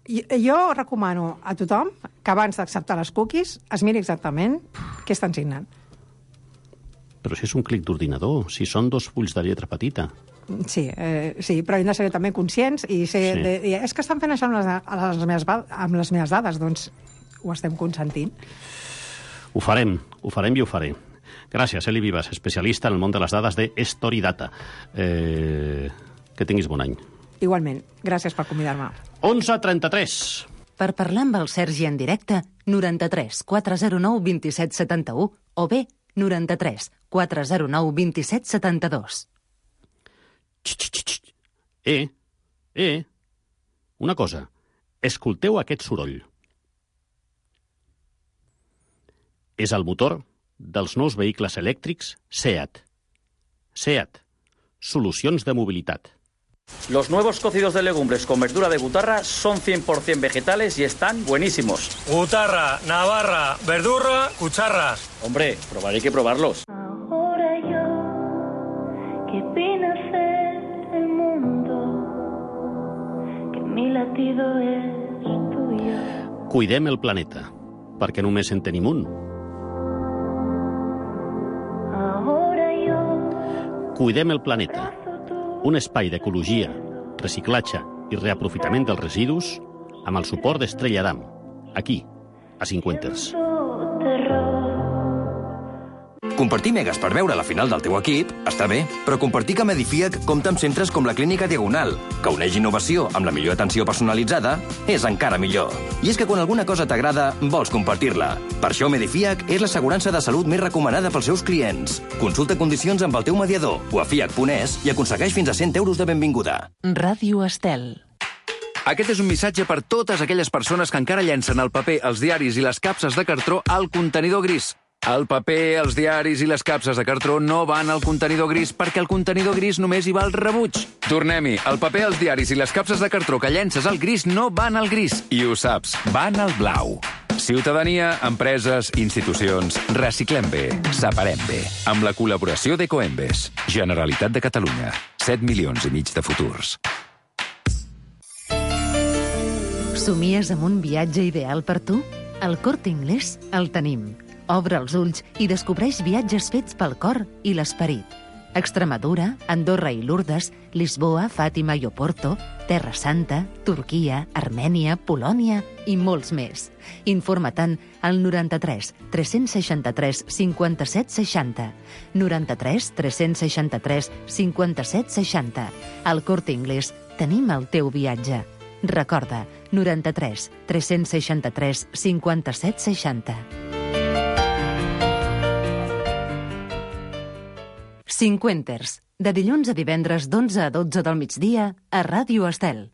I, jo recomano a tothom que abans d'acceptar les cookies es miri exactament què estan signant. Però si és un clic d'ordinador, si són dos fulls de lletra petita. Sí, eh, sí, però hem de ser també conscients i ser... Sí. De, i és que estan fent això amb les, amb, les meves, va- amb les meves dades, doncs ho estem consentint. Ho farem, ho farem i ho faré. Gràcies, Eli Vives, especialista en el món de les dades de Storidata. Eh, que tinguis bon any. Igualment, gràcies per convidar-me. onze trenta-tres. Per parlar amb el Sergi en directe, noranta-tres quatre zero nou dos set set u o bé noranta-tres quatre zero nou dos set set dos. Eh, eh, una cosa. Escolteu aquest soroll. És el motor dels nous vehicles elèctrics SEAT. SEAT. Solucions de mobilitat. Los nuevos cocidos de legumbres con verdura de gutarra son cien por ciento vegetales y están buenísimos. Gutarra, navarra, verdurra, cucharras. Hombre, probaré que probarlos. Ahora yo, que vine a ser el mundo, que mi latido es tuyo. Cuidem el planeta, perquè només en tenim un. Ahora yo, Cuidem el planeta. Un espai d'ecologia, reciclatge i reaprofitament dels residus amb el suport d'Estrella d'Am, aquí, a Cinquenters. terror. Compartir megas per veure la final del teu equip està bé, però compartir que Medifiac compta amb centres com la Clínica Diagonal, que uneix innovació amb la millor atenció personalitzada, és encara millor. I és que quan alguna cosa t'agrada, vols compartir-la. Per això Medifiac és l'assegurança de salut més recomanada pels seus clients. Consulta condicions amb el teu mediador o a fiac punt es i aconsegueix fins a cent euros de benvinguda. Ràdio Estel. Aquest és un missatge per totes aquelles persones que encara llencen el paper, els diaris i les capses de cartró al contenidor gris. El paper, els diaris i les capses de cartró no van al contenidor gris perquè el contenidor gris només hi va al rebuig. Tornem-hi. El paper, els diaris i les capses de cartró que llences al gris no van al gris. I ho saps, van al blau. Ciutadania, empreses, institucions, reciclem bé, separem bé. Amb la col·laboració d'Ecoembes. Generalitat de Catalunya. set milions i mig de futurs. Somies amb un viatge ideal per tu? Al Corte Inglés el tenim. Obre els ulls i descobreix viatges fets pel cor i l'esperit. Extremadura, Andorra i Lourdes, Lisboa, Fàtima i Oporto, Terra Santa, Turquia, Armènia, Polònia i molts més. Informa-te'n al noranta-tres tres-cents seixanta-tres cinquanta-set seixanta. noranta-tres tres-cents seixanta-tres cinquanta-set seixanta. Al Corte Inglés tenim el teu viatge. Recorda, noranta-tres tres-cents seixanta-tres cinquanta-set seixanta. Cinquenters, de dilluns a divendres d'onze a dotze del migdia a Ràdio Estel.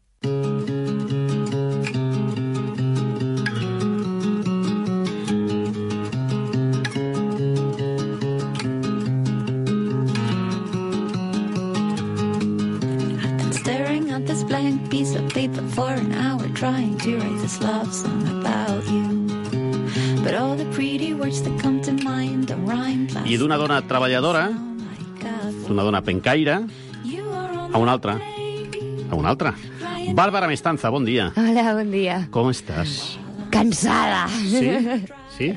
Staring at this blank piece of paper for an hour, trying to write this love song about you. But all the pretty words that come to mind don't rhyme. I d'una dona treballadora, d'una dona pencaire, a una altra. A una altra. Bàrbara Mestanza, bon dia. Hola, bon dia. Com estàs? Cansada. Sí? Sí?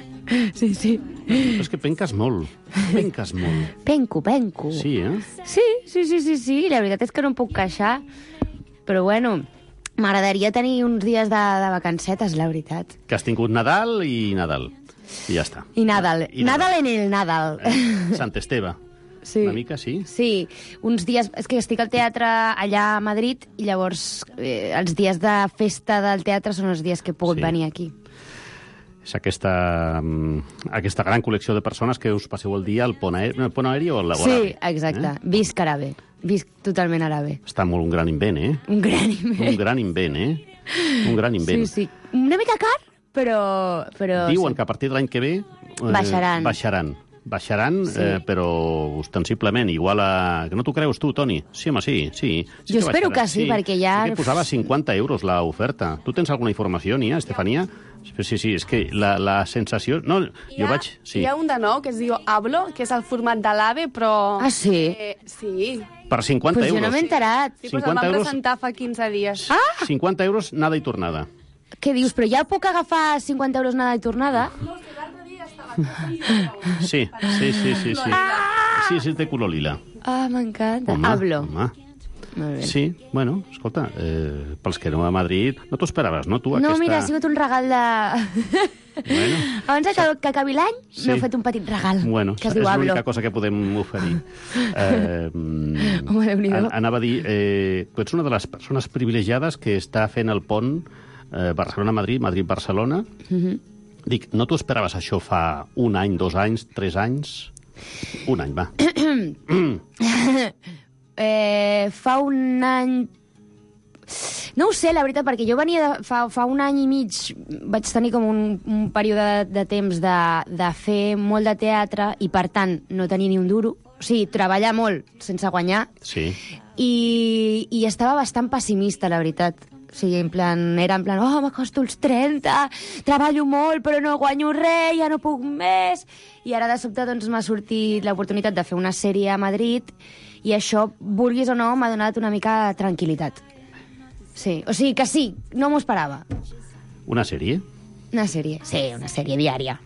Sí, sí. Però és que penques molt. Penques molt. Penco, penco. Sí, eh? Sí, sí, sí, sí, sí. La veritat és que no em puc queixar. Però bueno, m'agradaria tenir uns dies de, de vacancetes, la veritat. Que has tingut Nadal i Nadal. I ja està. I Nadal. I Nadal. Nadal en el Nadal. Eh? Sant Esteve. Sí. Una mica, sí? Sí, uns dies... És que estic al teatre allà a Madrid i llavors eh, els dies de festa del teatre són els dies que he pogut Sí. venir aquí. És aquesta, mm, aquesta gran col·lecció de persones que us passeu el dia al pont aeri, no, el pont aeri o al laboratori. Sí, exacte. Eh? Visc àrabe. Visc totalment àrabe. Està molt un gran invent, eh? Un gran invent. Un gran invent, eh? Un gran invent. Sí, sí. Una mica car, però... però Diuen sí. que a partir de l'any que ve... Eh, Baixaran. Baixaran. Baixaran, Sí. eh, però ostensiblement, igual a... Que no t'ho creus tu, Toni? Sí, home, sí, sí. sí Jo espero baixaran, que sí, perquè ja- Sí que posava cinquanta euros l'oferta. Tu tens alguna informació, Nia, Estefania? Sí, sí, és que la, la sensació... No, jo vaig... Sí. Hi ha un de nou que es diu Hablo, que és el format de l'AVE, però... Ah, sí? Eh, sí. Per cinquanta Pues jo euros. no m'he enterat. Sí, pues el cinquanta vam euros. presentar fa quinze dies. Ah! cinquanta euros, nada i tornada. Què dius? Però ja puc agafar cinquanta euros nada i tornada? Sí, sí, sí, sí. Sí, sí, sí té color lila. Ah, m'encanta. Home, Hablo. home. Molt bé. Sí, bueno, escolta, eh, pels que no a Madrid... No t'ho esperaves, no, tu, No, aquesta... mira, ha sigut un regal de... Bueno, Abans que, que acabi l'any, Sí. m'heu fet un petit regal, bueno que es és diu Hablo. l'única cosa que podem oferir. Eh, mm, Home, Déu-n'hi-do. an- anava a dir, eh, tu ets una de les persones privilegiades que està fent el pont eh, Barcelona-Madrid, Madrid-Barcelona. Mhm. Dic, no t'ho esperaves això fa un any, dos anys, tres anys? Un any, va. eh, fa un any... No ho sé, la veritat, perquè jo venia de, fa, fa un any i mig, vaig tenir com un, un període de, de temps de, de fer molt de teatre i, per tant, no tenir ni un duro. O sigui, treballar molt sense guanyar. Sí. I, i estava bastant pessimista, la veritat. O sigui, en plan, era en plan, oh, m'acosto als trenta, treballo molt, però no guanyo res, ja no puc més. I ara, de sobte, doncs, m'ha sortit l'oportunitat de fer una sèrie a Madrid i això, vulguis o no, m'ha donat una mica de tranquil·litat. Sí, o sigui que sí, no m'ho esperava. Una sèrie? Una sèrie, sí, una sèrie diària.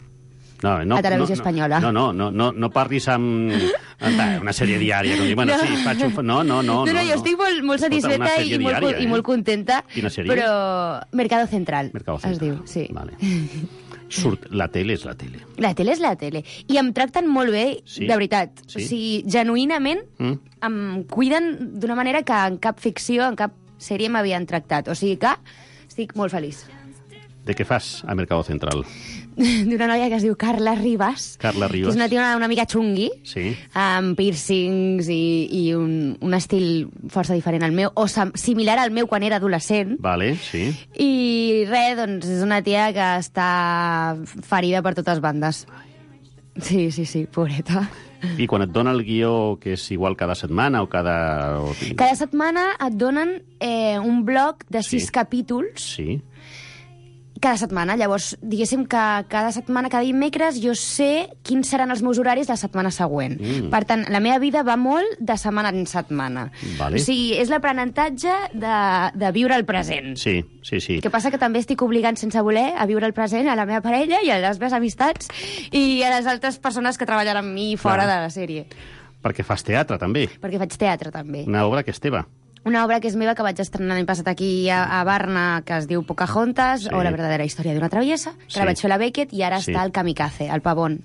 No, no, A Televisió no, Espanyola. No, no, no, no, no parlis amb ah, una sèrie diària. Com dir, bueno, sí, faig un... No, no, no. No, no, jo estic molt, molt Escolta, una satisfeta sèrie i, molt, diària, i eh? molt contenta. Quina sèrie? Però Mercado Central, Mercado es Central. diu, sí. Vale. Surt, la tele és la tele. La tele és la tele. I em tracten molt bé, Sí? de veritat. Sí? O sigui, genuïnament Mm? em cuiden d'una manera que en cap ficció, en cap sèrie m'havien tractat. O sigui que estic molt feliç. De què fas a Mercado Central? d'una noia que es diu Carla Ribas. Carla Ribas. Que és una tia una, una mica xungui, sí. amb piercings i, i un, un estil força diferent al meu, o similar al meu quan era adolescent. Vale, sí. I res, doncs és una tia que està ferida per totes bandes. Sí, sí, sí, pobreta. I quan et dona el guió, que és igual cada setmana o cada... O... Cada setmana et donen eh, un bloc de sis Sí. capítols. Sí. Cada setmana. Llavors, diguéssim que cada setmana, cada dimecres, jo sé quins seran els meus horaris la setmana següent. Mm. Per tant, la meva vida va molt de setmana en setmana. Vale. O sigui, és l'aprenentatge de, de viure el present. Sí, sí, sí. El que passa que també estic obligant sense voler a viure el present a la meva parella i a les meves amistats i a les altres persones que treballen amb mi fora Clar. de la sèrie. Perquè fas teatre, també. Perquè faig teatre, també. Una obra que és teva. Una obra que és meva, que vaig estrenar l'any passat aquí a, a Barna, que es diu Pocahontas, Sí. o La verdadera història d'una traviesa, que Sí. la vaig fer a la Beckett, i ara Sí. està al Kamikaze, al Pavón,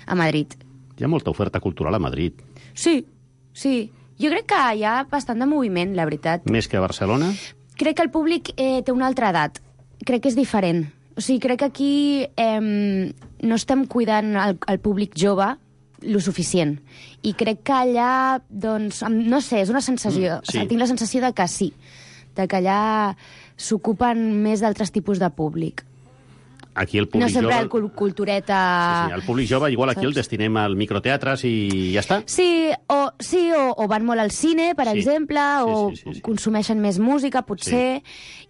a Madrid. Hi ha molta oferta cultural a Madrid. Sí, sí. Jo crec que hi ha bastant de moviment, la veritat. Més que a Barcelona. Crec que el públic eh, té una altra edat. Crec que és diferent. O sigui, crec que aquí eh, no estem cuidant el, el públic jove lo suficient. I crec que allà, doncs, em- no sé, és una sensació. Mm, sí. O sigui, tinc la sensació de que sí, de que allà s'ocupen més d'altres tipus de públic. Aquí el No públic sempre jove... el cul cultureta... Sí, el públic jove, igual aquí saps? el destinem al microteatres i ja està. Sí, o, sí o, o van molt al cine, per Sí. exemple, Sí, o sí, sí, sí. consumeixen més música, potser,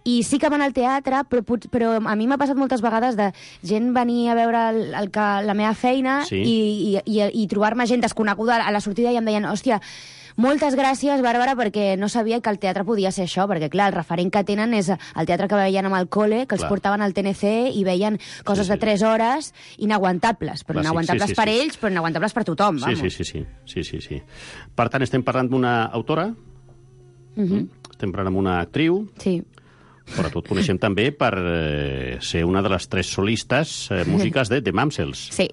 i sí que van al teatre, però, pot- però a mi m'ha passat moltes vegades de gent venir a veure el, el que, la meva feina Sí. i, i, i, i trobar-me gent desconeguda a la sortida i em deien, hòstia, moltes gràcies, Bàrbara, perquè no sabia que el teatre podia ser això, perquè, clar, el referent que tenen és el teatre que veien amb el cole, que els Clar. portaven al T N C i veien coses Sí, sí. de tres hores inaguantables, però Clàssic, inaguantables sí, sí, per sí. ells, però inaguantables per tothom, Sí, vamos. sí, sí, sí, sí, sí, sí. Per tant, estem parlant d'una autora, Mhm. estem parlant amb una actriu, Sí. però tot coneixem també per eh, ser una de les tres solistes eh, músiques de The Mamsels. Sí.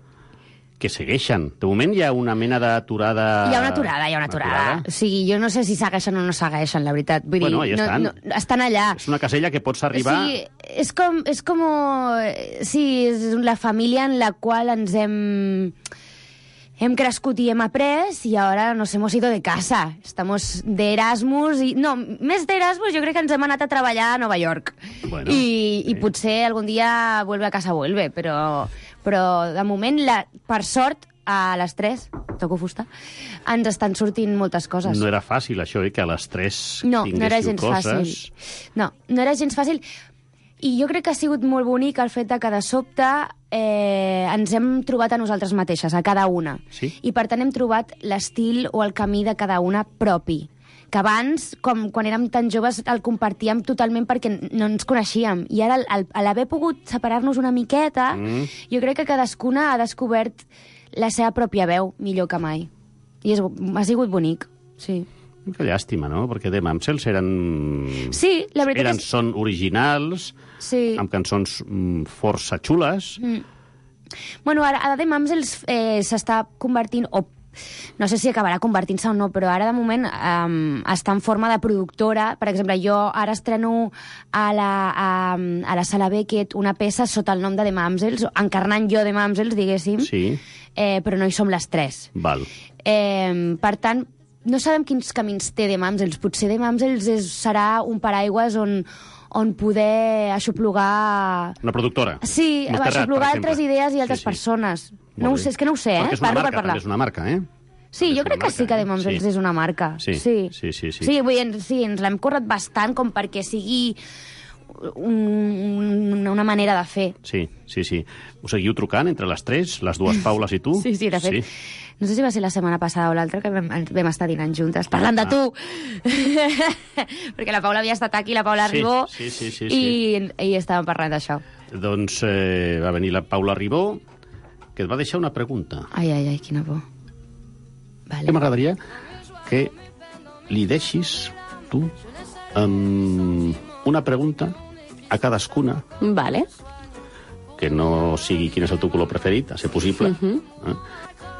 Que segueixen. De moment hi ha una mena d'aturada... Hi ha una aturada, hi ha una aturada. O sigui, jo no sé si segueixen o no segueixen, la veritat. Vull Bueno, dir, ja estan. No, no, estan allà. És una casella que pots arribar... O sigui, és com... És com sí, és la família en la qual ens hem... Hem crescut i hem après i ara nos hemos ido de casa. Estamos de Erasmus i... No, més d'Erasmus jo crec que ens hem anat a treballar a Nova York. Bueno, I, I potser algun dia vuelve a casa vuelve, però, però de moment, la, per sort, a les tres, toco fusta, ens estan sortint moltes coses. No era fàcil, això, eh, que a les tres No, tinguéssiu no era gens coses. fàcil. No, no era gens fàcil. I jo crec que ha sigut molt bonic el fet de que de sobte eh, ens hem trobat a nosaltres mateixes, a cada una. Sí. I per tant hem trobat l'estil o el camí de cada una propi. Que abans, com quan érem tan joves, el compartíem totalment perquè no ens coneixíem. I ara, al, a l'haver pogut separar-nos una miqueta, Mm. jo crec que cadascuna ha descobert la seva pròpia veu millor que mai. I és, ha sigut bonic, sí. Que llàstima, no? Perquè The Mamsels eren... Sí, la veritat eren, és... Són originals, Sí. amb cançons mm, força xules. Mm. Bueno, ara, ara The Mamsels eh, s'està convertint, o no sé si acabarà convertint-se o no, però ara de moment um, està en forma de productora. Per exemple, jo ara estreno a la, a, a la Sala Beckett una peça sota el nom de The Mamsels, encarnant jo The Mamsels, diguéssim, Sí, eh, però no hi som les tres. val. Eh, per tant, no sabem quins camins té The Mamsels. Potser The Mamsels és, serà un paraigües on, on poder aixoplugar... Una productora. Sí, Montserrat, per aixoplugar exemple. altres idees i altres Sí, sí. persones. Molt No ho bé. sé, és que no ho sé, Perquè eh? és una Parlo marca, per parlar. també és una marca, eh? Sí, jo és crec una que sí marca, que eh? The Mamsels Sí. és una marca. Sí, sí, sí, sí, sí. Sí, vull dir, sí, ens l'hem currat bastant com perquè sigui un, una manera de fer. Sí, sí, sí. Us seguiu trucant entre les tres, les dues Paules i tu? Sí, sí, de fet. No sé si va ser la setmana passada o l'altra que vam, vam estar dinant juntes, parlant Ah. de tu. Perquè la Paula havia estat aquí, la Paula Sí, Ribó, sí, sí, sí, i, i estàvem parlant d'això. Doncs eh, va venir la Paula Ribó, que et va deixar una pregunta. Ai, ai, ai, quina por. Vale. Que m'agradaria que li deixis tu um, una pregunta a cadascuna, Vale. que no sigui quin és el teu color preferit, a ser possible. Mhm. eh?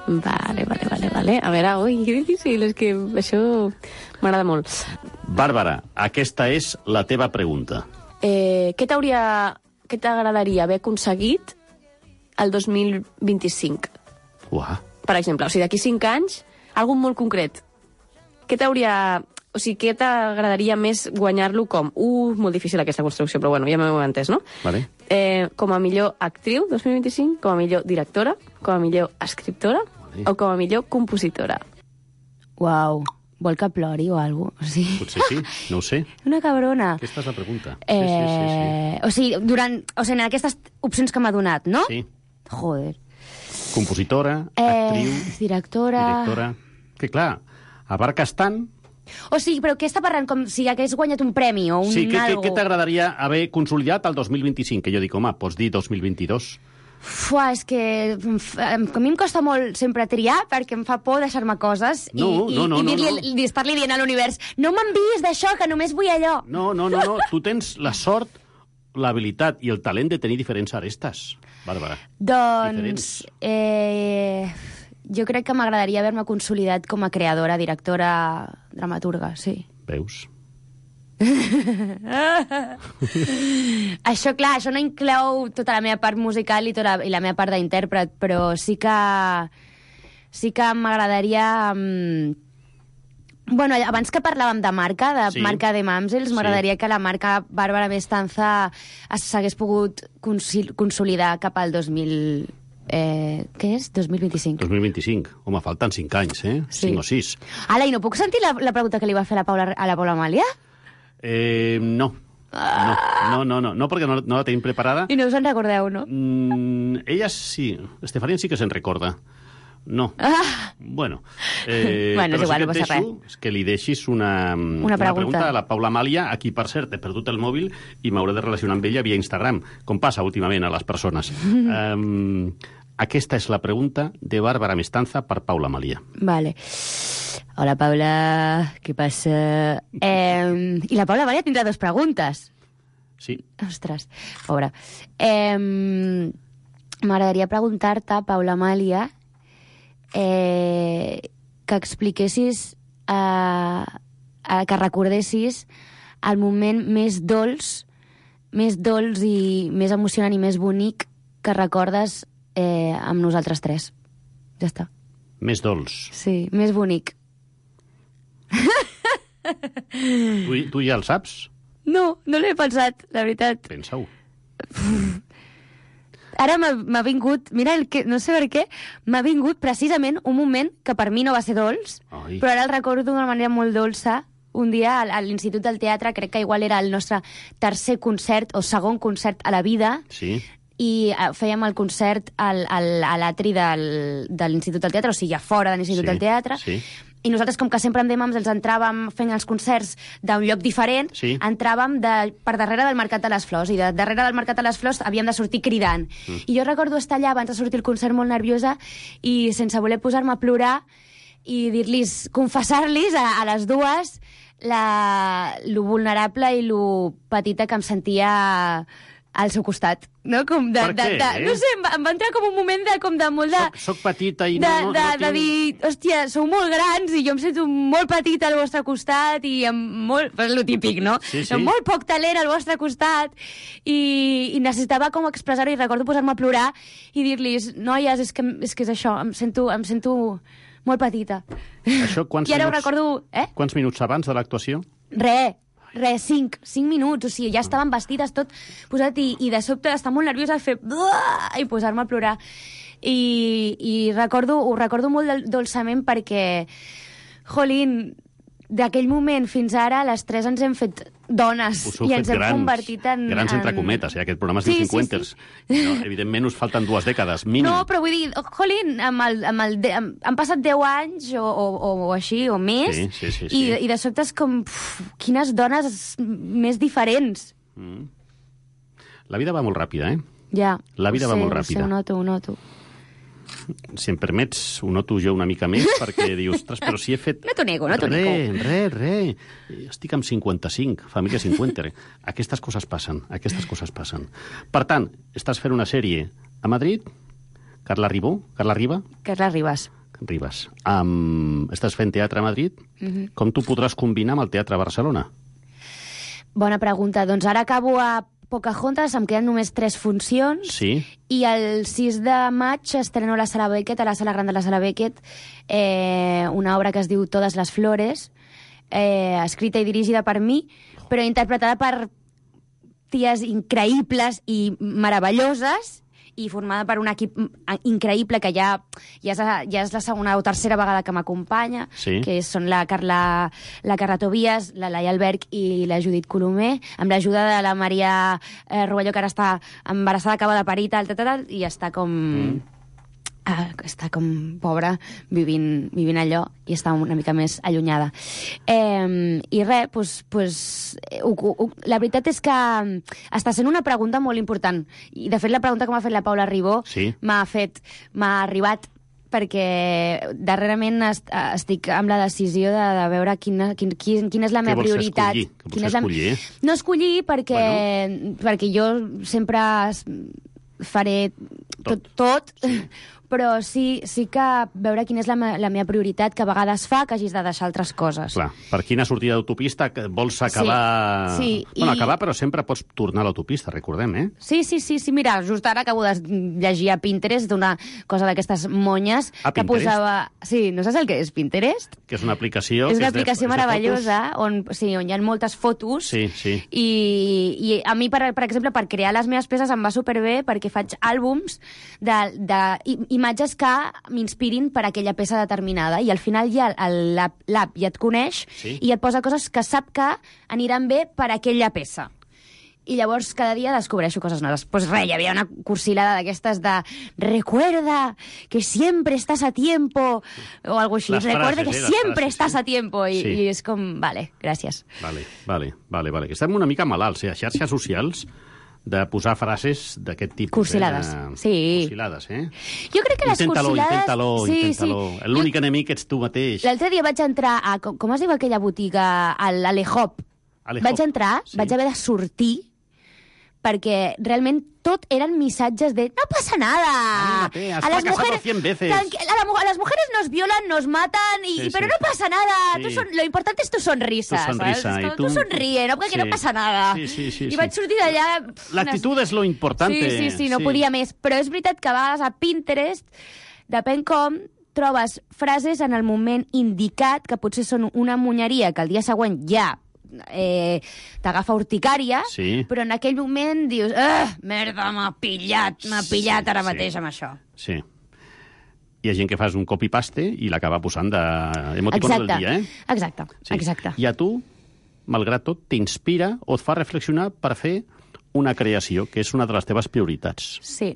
Vale, vale, vale, vale. A veure, ui, que difícil, és que això m'agrada molt. Bàrbara, aquesta és la teva pregunta. Eh, què t'hauria... Què t'agradaria haver aconseguit al dos mil vint-i-cinc? Uah. Per exemple, o sigui, d'aquí cinc anys, algun molt concret. Què t'hauria... O sigui, què t'agradaria més guanyar-lo com? Uh, molt difícil aquesta construcció, però bueno, ja m'heu entès, no? Vale. Eh, com a millor actriu, dos mil vint-i-cinc, com a millor directora, com a millor escriptora vale. O com a millor compositora. Uau, vol que plori o alguna cosa? O sigui... Potser sí, no ho sé. Una cabrona. Aquesta és la pregunta. Eh... Sí, sí, sí, sí. O sigui, durant... O sigui, en aquestes opcions que m'ha donat, no? Sí. Joder. Compositora, Eh, actriu, directora... directora... Que clar, abarques tant... O sigui, però què està parlant? Com si hagués guanyat un premi o un Sí, què, què, algo? què t'agradaria haver consolidat al dos mil vint-i-cinc? Que jo dic, home, pots dir dos mil vint-i-dos. Fuà, és que em fa- em- a mi em costa molt sempre triar perquè em fa por deixar-me coses i, No, i, no, no, i no, dir-li- i estar-li dient a l'univers no m'enviïs d'això, que només vull allò. No, no, no, no. Tu tens la sort, l'habilitat i el talent de tenir diferents arestes, Bàrbara. Doncs eh, jo crec que m'agradaria haver-me consolidat com a creadora, directora, dramaturga, sí. Veus? Això, clar, això no inclou tota la meva part musical i, tota, i la meva part d'intèrpret, però sí que sí que m'agradaria... Um... Bueno, abans que parlàvem de marca, de Sí. marca de Mamsels, m'agradaria Sí. que la marca Bàrbara Mestanza es- s'hagués pogut consil- consolidar cap al dos mil... Eh, què és? dos mil vint-i-cinc. dos mil vint-i-cinc. Home, falten cinc anys, eh? Sí. cinc o sis. Ala, i no puc sentir la, la pregunta que li va fer la Paula, a la Paula Amàlia? Eh, no. No, no, no, no, no perquè no, no la tenim preparada. I no us en recordeu, no? Mm, ella sí. Estefania sí que se'n recorda. No. Ah. Bueno. Eh, Bueno, és però igual, sí no que passa et deixo és que li deixis una, Una pregunta. pregunta a la Paula Amàlia, a qui, per cert, he perdut el mòbil i m'hauré de relacionar amb ella via Instagram, com passa últimament a les persones. um, aquesta és la pregunta de Bàrbara Mestanza per Paula Amàlia. Vale. Hola, Paula, què passa? Eh, I la Paula Amàlia tindrà dues preguntes. Sí. Ostres, pobra. Eh, M'agradaria preguntar-te, Paula Amàlia, eh, que expliquessis, eh, eh, que recordessis el moment més dolç, més dolç i més emocionant i més bonic que recordes eh, amb nosaltres tres. Ja està. Més dolç. Sí, més bonic. Tu, tu ja el saps? No, no l'he pensat, la veritat. Pensa-ho. Ara m'ha m'ha vingut, mira, el que, no sé per què, m'ha vingut precisament un moment que per mi no va ser dolç, Ai. però ara el recordo d'una manera molt dolça. Un dia a l'Institut del Teatre, crec que igual era el nostre tercer concert o segon concert a la vida, Sí. i eh, fèiem el concert al, al, a l'atri del, de l'Institut del Teatre, o sigui, a fora de l'Institut Sí, del Teatre, sí. i nosaltres, com que sempre amb Demams els entràvem fent els concerts d'un lloc diferent, Sí. entràvem de, per darrere del Mercat de les Flors, i de darrere del Mercat de les Flors havíem de sortir cridant. Mm. I jo recordo estar allà abans de sortir el concert molt nerviosa i sense voler posar-me a plorar i dir-los, confessar-los a, a les dues la, lo vulnerable i lo petita que em sentia al seu costat, no? Com de, Per de, què, de, eh? no sé, em va, em va entrar com un moment de, com de molt de... Soc, soc petita i de, no, no, de, no de tinc... dir, hòstia, sou molt grans i jo em sento molt petita al vostre costat i amb molt... És lo típic, no? Sí, sí. Amb molt poc talent al vostre costat i, i necessitava com expressar-ho i recordo posar-me a plorar i dir-los, noies, és que, és que és això, em sento, em sento molt petita. Això quants I ara ho minuts, recordo... Eh? quants minuts abans de l'actuació? Re, re, cinc, cinc minuts, o sigui, ja estaven vestides tot posat i, i de sobte estar molt nerviosa fer "Buah!" i posar-me a plorar. I, i recordo, ho recordo molt dol- dolçament perquè, jolín, d'aquell moment fins ara les tres ens hem fet dones Us heu i fet ens hem grans, convertit en... grans entre en... cometes, eh? Aquest programa es Sí, diu sí, Cinquenters. No, evidentment us falten dues dècades, mínim. No, però vull dir, oh, jolín, amb el, amb el, de, amb, han passat deu anys o, o, o, o així, o més, Sí, sí, sí, sí. I, i de sobte és com, puf, quines dones més diferents. Mm. La vida va molt ràpida, eh? Ja. La vida ho va sé, molt ho ràpida. sé, ho noto, ho noto. Si em permets, ho noto jo una mica més, perquè dius, ostres, però si he fet... No t'ho nego, no t'ho Re, nego. re, re. Estic amb cinquanta-cinc, família cinquanta. Aquestes coses passen, aquestes coses passen. Per tant, estàs fent una sèrie a Madrid, Carla Ribó, Carla Riba? Carla Ribas. Ribas. Um, estàs fent teatre a Madrid. Mhm. Com tu podràs combinar amb el teatre a Barcelona? Bona pregunta. Doncs ara acabo a Pocahontas, em queden només tres funcions. Sí. I el sis de maig estreno a la Sala Beckett, a la Sala Gran de la Sala Beckett, eh, una obra que es diu Todas les flores, eh, escrita i dirigida per mi, però interpretada per ties increïbles i meravelloses, i formada per un equip increïble que ja, ja, és, ja és la segona o tercera vegada que m'acompanya, sí. que són la Carla, la Carla Tobias, la Laia Alberg i la Judit Colomer, amb l'ajuda de la Maria eh, Rovelló, que ara està embarassada, acaba de parir, tal, tal, tal, i està com... Mm. Uh, està com pobra vivint, vivint allò i està una mica més allunyada. Eh, I res, pues, pues, uh, uh, uh, la veritat és que està sent una pregunta molt important. I, de fet, la pregunta que m'ha fet la Paula Ribó sí. m'ha fet, m'ha arribat perquè darrerament est estic amb la decisió de, de veure quina, quin, quin, quina és la meva prioritat. Escollir? Què vols quina és la... escollir? No escollir perquè, bueno. perquè jo sempre faré tot, tot sí. Però sí, sí que veure quina és la, me la meva prioritat, que a vegades fa que hagis de deixar altres coses. Clar, per quina sortida d'autopista vols acabar... Sí, sí. Bueno, I... acabar, però sempre pots tornar a l'autopista, recordem, eh? Sí, sí, sí, sí, mira, just ara acabo de llegir a Pinterest d'una cosa d'aquestes monyes a que Pinterest? posava... Sí, no saps el que és Pinterest? Que és una aplicació... És que una és de, aplicació és meravellosa, on, sí, on hi ha moltes fotos. Sí, sí. I, i a mi, per, per exemple, per crear les meves peces em va superbé perquè faig àlbums d'imatges que m'inspirin per aquella peça determinada, i al final ja l'app ja et coneix sí. i et posa coses que sap que aniran bé per aquella peça. I llavors cada dia descobreixo coses noves. Pues res, hi havia una cursilada d'aquestes de recuerda que siempre estás a tiempo, o algo així. Les Recuerda frases, que eh, siempre frases, estás sí. a tiempo. I, sí. i és com, vale, gràcies. Vale, vale, vale, vale. Que estem una mica malalts, eh? A xarxes socials de posar frases d'aquest tipus. Cursilades, eh? sí. Cursilades, eh? Jo crec que les inténtalo, cursilades... Inténtalo, sí, inténtalo. sí. L'únic jo... enemic ets tu mateix. L'altre dia vaig entrar a... Com, com es diu aquella botiga? A l'Alehop. Vaig entrar, sí. vaig haver de sortir perquè realment tot eren missatges de no pasa nada. Anímate, has a fracasado mujeres, cien veces. A, la, a las mujeres nos violan, nos matan, y, sí, pero sí. no pasa nada. Sí. Tú son, lo importante es tu sonrisa. Tu sonrisa. ¿sabes? I tu... tu sonríe, no? Perquè sí. no passa nada. Sí, sí, sí, I sí. vaig sortir d'allà... L'actitud és lo importante. Sí, sí, sí, no sí. podia més. Però és veritat que a vegades a Pinterest, depèn com, trobes frases en el moment indicat que potser són una monyeria que el dia següent ja eh, t'agafa urticària, sí. però en aquell moment dius merda, m'ha pillat, m'ha pillat ara sí, mateix amb això. Sí. Hi ha gent que fas un copy-paste i l'acaba posant d'emoticons del dia, eh? Exacte, sí. exacte. I a tu, malgrat tot, t'inspira o et fa reflexionar per fer una creació, que és una de les teves prioritats. Sí.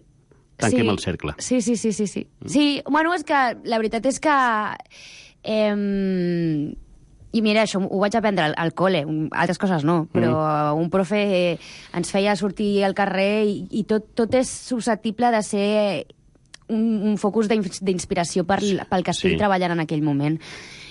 Tanquem sí. el cercle. Sí, sí, sí, sí. Sí, mm. sí, bueno, és que la veritat és que... Eh, I mira, això ho vaig aprendre al, al col·le, altres coses no, però mm. un profe eh, ens feia sortir al carrer i, i tot, tot és susceptible de ser un, un focus d'inspiració per, pel que estic sí. treballant en aquell moment.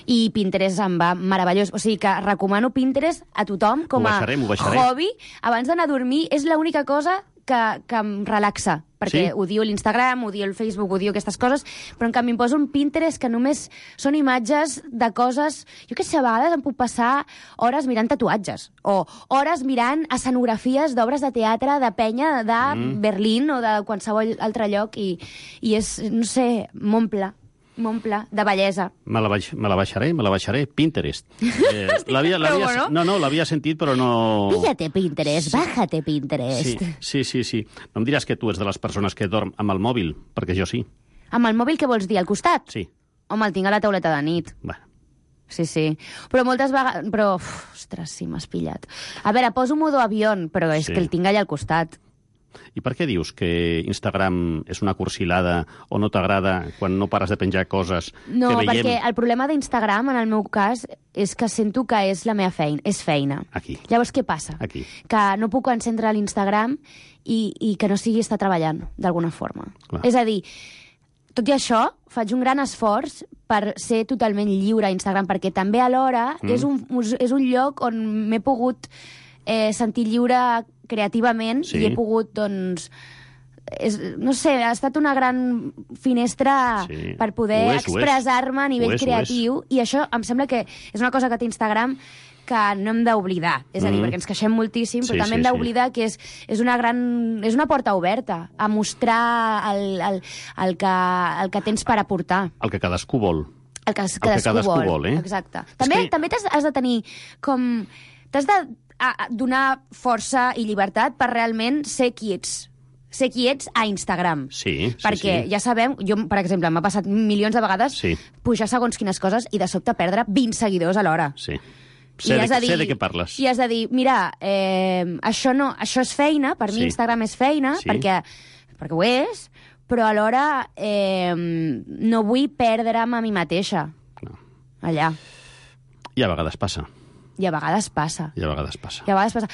I Pinterest em va meravellós. O sigui que recomano Pinterest a tothom com a baixarem, hobby. Abans d'anar a dormir és l'única cosa que, que em relaxa, perquè sí? odio l'Instagram, odio el Facebook, odio aquestes coses, però en canvi em poso un Pinterest que només són imatges de coses... Jo què sé, a vegades em puc passar hores mirant tatuatges, o hores mirant escenografies d'obres de teatre de penya de mm. Berlín o de qualsevol altre lloc, i, i és, no sé, m'omple. m'omple de bellesa. Me la, baix, me la baixaré, me la baixaré. Pinterest. Eh, l'havia, l'havia, bueno. No, no, l'havia sentit, però no... Píllate Pinterest, sí. Bájate Pinterest. Sí, sí, sí, sí. No em diràs que tu ets de les persones que dorm amb el mòbil, perquè jo sí. Amb el mòbil què vols dir, al costat? Sí. Home, el tinc a la tauleta de nit. Bueno. Sí, sí. Però moltes vegades... Però, uf, ostres, sí, m'has pillat. A veure, poso modo avió, però és sí. que el tinc allà al costat. I per què dius que Instagram és una cursilada o no t'agrada quan no pares de penjar coses no, que veiem? No, perquè el problema d'Instagram, en el meu cas, és que sento que és la meva feina. És feina. Aquí. Llavors, què passa? Aquí. Que no puc encendre l'Instagram i, i que no sigui estar treballant, d'alguna forma. Clar. És a dir, tot i això, faig un gran esforç per ser totalment lliure a Instagram, perquè també alhora mm. és, un, és un lloc on m'he pogut eh, sentir lliure creativament sí. i he pogut, doncs... És, no sé, ha estat una gran finestra sí. per poder expressar-me a nivell és, creatiu, i això em sembla que és una cosa que té Instagram que no hem d'oblidar. És a dir, Mm. perquè ens queixem moltíssim, però Sí, també sí, hem sí. d'oblidar que és, és una gran... és una porta oberta a mostrar el, el, el, que, el que tens per aportar. El que cadascú vol. El que, El que cadascú vol. vol, eh? Exacte. També, que- també t'has has de tenir com... T'has de a, a, donar força i llibertat per realment ser qui ets. Ser qui ets a Instagram. Sí, sí, Perquè sí. ja sabem, jo, per exemple, m'ha passat milions de vegades Sí. pujar segons quines coses i de sobte perdre vint seguidors alhora. Sí. I Sé, de, has de dir- sé de què parles. I has de dir, mira, eh, això, no, això és feina, per mi Sí. Instagram és feina, Sí. perquè, perquè ho és, però alhora eh, no vull perdre'm a mi mateixa. No. Allà. I a vegades passa. I a vegades passa. I a vegades passa. I a vegades passa.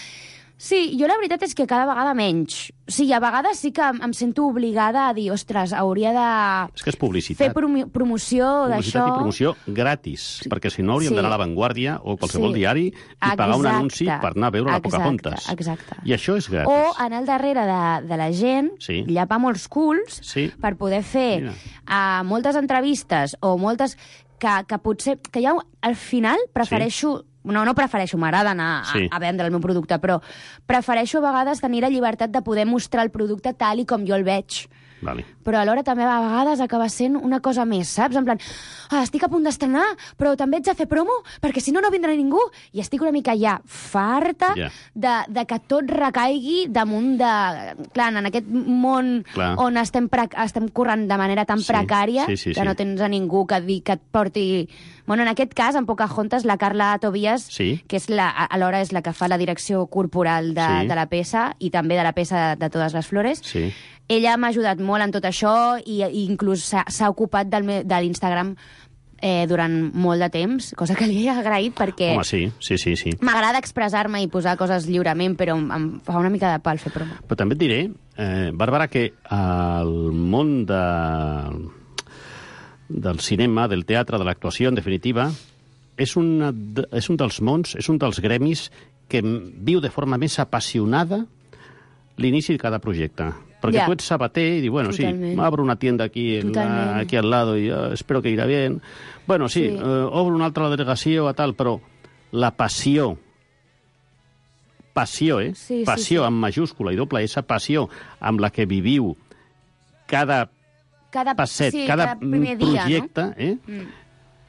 Sí, jo la veritat és que cada vegada menys. Sí, a vegades sí que em, em sento obligada a dir, ostres, hauria de És que és publicitat. fer promo promoció Publicitat d'això. i promoció gratis, perquè si no hauríem Sí. d'anar a La Vanguardia o qualsevol Sí. diari i pagar un Exacte. anunci per anar a veure la Exacte, Pocahontas. exacte. I això és gratis. O anar al darrere de, de la gent, Sí. llapar molts culs, Sí. per poder fer Mira. uh, moltes entrevistes o moltes que, que potser... que ja al final prefereixo... No, no prefereixo, m'agrada anar a, Sí. a vendre el meu producte, però prefereixo a vegades tenir la llibertat de poder mostrar el producte tal i com jo el veig. Vale. Però alhora també a vegades acaba sent una cosa més, saps? En plan, ah, estic a punt d'estrenar, però també ets de fer promo, perquè si no, no vindrà ningú. I estic una mica ja farta Ja. de, de que tot recaigui damunt de... Clar, en aquest món Clar. on estem, pre estem corrent de manera tan Sí, precària, sí, sí, que sí. no tens a ningú que, di, que et porti... Bueno, en aquest cas, en Pocahontas, la Carla Tobias, Sí. que és la, alhora és la que fa la direcció corporal de, Sí. de la peça i també de la peça de, de Totes les Flores, Sí. ella m'ha ajudat molt en tot això i, i inclús s'ha s'ha ocupat del, me- de l'Instagram eh, durant molt de temps, cosa que li he agraït perquè Home, sí, sí, sí, sí. m'agrada expressar-me i posar coses lliurement, però em, em fa una mica de pal fer promo. Però també et diré, eh, Bàrbara, que el món de, del cinema, del teatre, de l'actuació, en definitiva, és, una, de- és un dels mons, és un dels gremis que viu de forma més apassionada l'inici de cada projecte. Perquè Ja. tu ets sabater y dices, bueno, Totalment. sí, abro una tienda aquí, en la, Totalment. aquí al lado y uh, espero que irá bien. Bueno, sí, Sí. eh, obro una altra delegació a tal, però la passió, passió, eh? Sí, sí, passió sí. amb majúscula i doble S, passió amb la que viviu cada Cada, passet, sí, cada, cada primer dia, projecte, eh? no? Mm.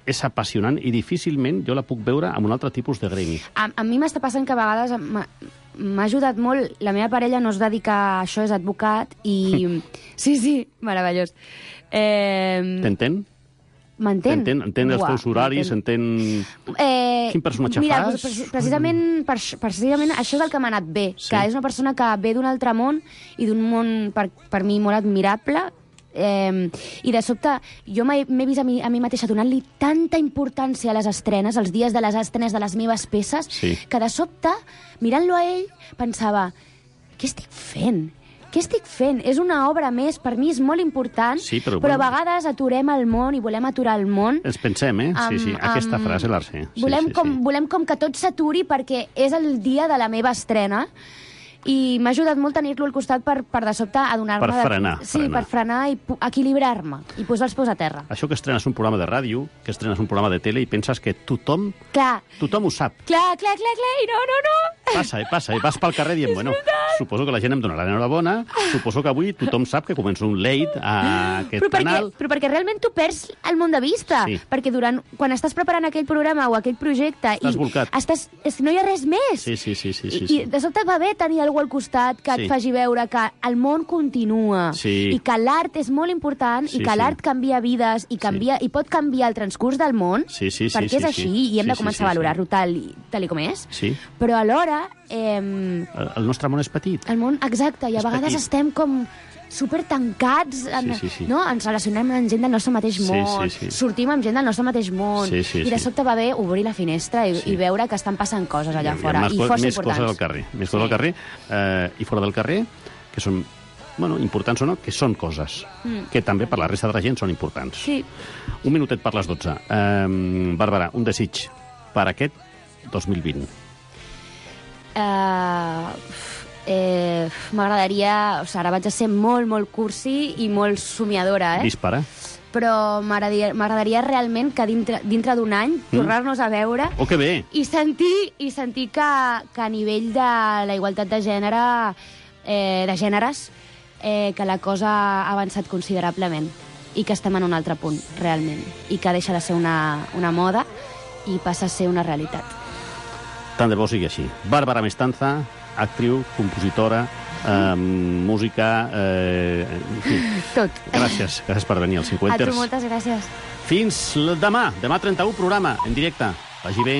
és apassionant i difícilment jo la puc veure amb un altre tipus de gremi. A, a mi m'està passant que a vegades m'ha m'ha ajudat molt. La meva parella no es dedica a això, és advocat, i... sí, sí, meravellós. Eh, T'entén? M'entén? Entén, entén els Uah, teus horaris, m'entén. entén... Eh, Quin personatge mira, fas? Mira, precisament, per, precisament això és el que m'ha anat bé, Sí. que és una persona que ve d'un altre món i d'un món, per, per mi, molt admirable, eh, i de sobte jo m'he m'he vist a mi, a mi mateixa donant-li tanta importància a les estrenes, als dies de les estrenes de les meves peces, Sí. que de sobte, mirant-lo a ell, pensava, què estic fent? Què estic fent? És una obra més, per mi és molt important, Sí, però però a bueno. vegades aturem el món i volem aturar el món. Ens pensem, eh? Sí, sí, Amb- aquesta amb- frase la sé. Sí, Volem, sí, com, sí. volem com que tot s'aturi perquè és el dia de la meva estrena i m'ha ajudat molt tenir-lo al costat per, per de sobte adonar-me... Per de- frenar, Sí, frenar. per frenar i pu- equilibrar-me i posar els peus a terra. Això que estrenes un programa de ràdio, que estrenes un programa de tele i penses que tothom, Clar, tothom ho sap. clar, clar, clar, clar, i no, no, no. Passa, eh, passa. I vas pel carrer dient, bueno, suposo que la gent em donarà l'enhorabona, suposo que avui tothom sap que comença un late a aquest Però perquè, canal. però perquè realment tu perds el món de vista. Sí. Perquè durant, quan estàs preparant aquell programa o aquell projecte... Estàs i bolcat. Estàs, és que no hi ha res més. Sí, sí, sí, sí, sí, I, sí. I de sobte va bé tenir algú al costat que Sí. et faci veure que el món continua Sí. i que l'art és molt important Sí, i que sí. l'art canvia vides i, canvia, i pot canviar el transcurs del món Sí, sí, sí, perquè sí, és així sí. i hem Sí, de sí, començar sí, a valorar-ho tal, i- tal i com és. Sí. Però alhora eh, El, el nostre món és petit. el món, exacte, i a És vegades petit. estem com super tancats, en, Sí, sí, sí. no? Ens relacionem amb gent del nostre mateix Sí, món, sí, sí. sortim amb gent del nostre mateix món, Sí, sí, i de sí. sobte va bé obrir la finestra i, Sí. i veure que estan passant coses allà Hi ha fora, més i co- força més importants. coses al carrer. Més coses al carrer. Eh, I fora del carrer, que són, bueno, importants o no, que són coses. Mm. Que també per la resta de la gent són importants. Sí. Un minutet per les dotze. Eh, Bàrbara, un desig per aquest dos mil vint. Uh, eh, M'agradaria... O sigui, ara vaig a ser molt, molt cursi i molt somiadora, eh? Dispara. però m'agradaria m'agradaria realment que dintre, dintre d'un any tornar-nos a veure Oh, que bé! i sentir, i sentir que, que a nivell de la igualtat de gènere, eh, de gèneres, eh, que la cosa ha avançat considerablement i que estem en un altre punt, realment, i que deixa de ser una, una moda i passa a ser una realitat. Tant de bo sigui així. Bàrbara Mestanza, actriu, compositora, eh, música... Eh, en fi. Tot. Gràcies, gràcies per venir als cinquanters. A tu moltes gràcies. Fins demà, demà trenta-u, programa en directe. Vagi bé.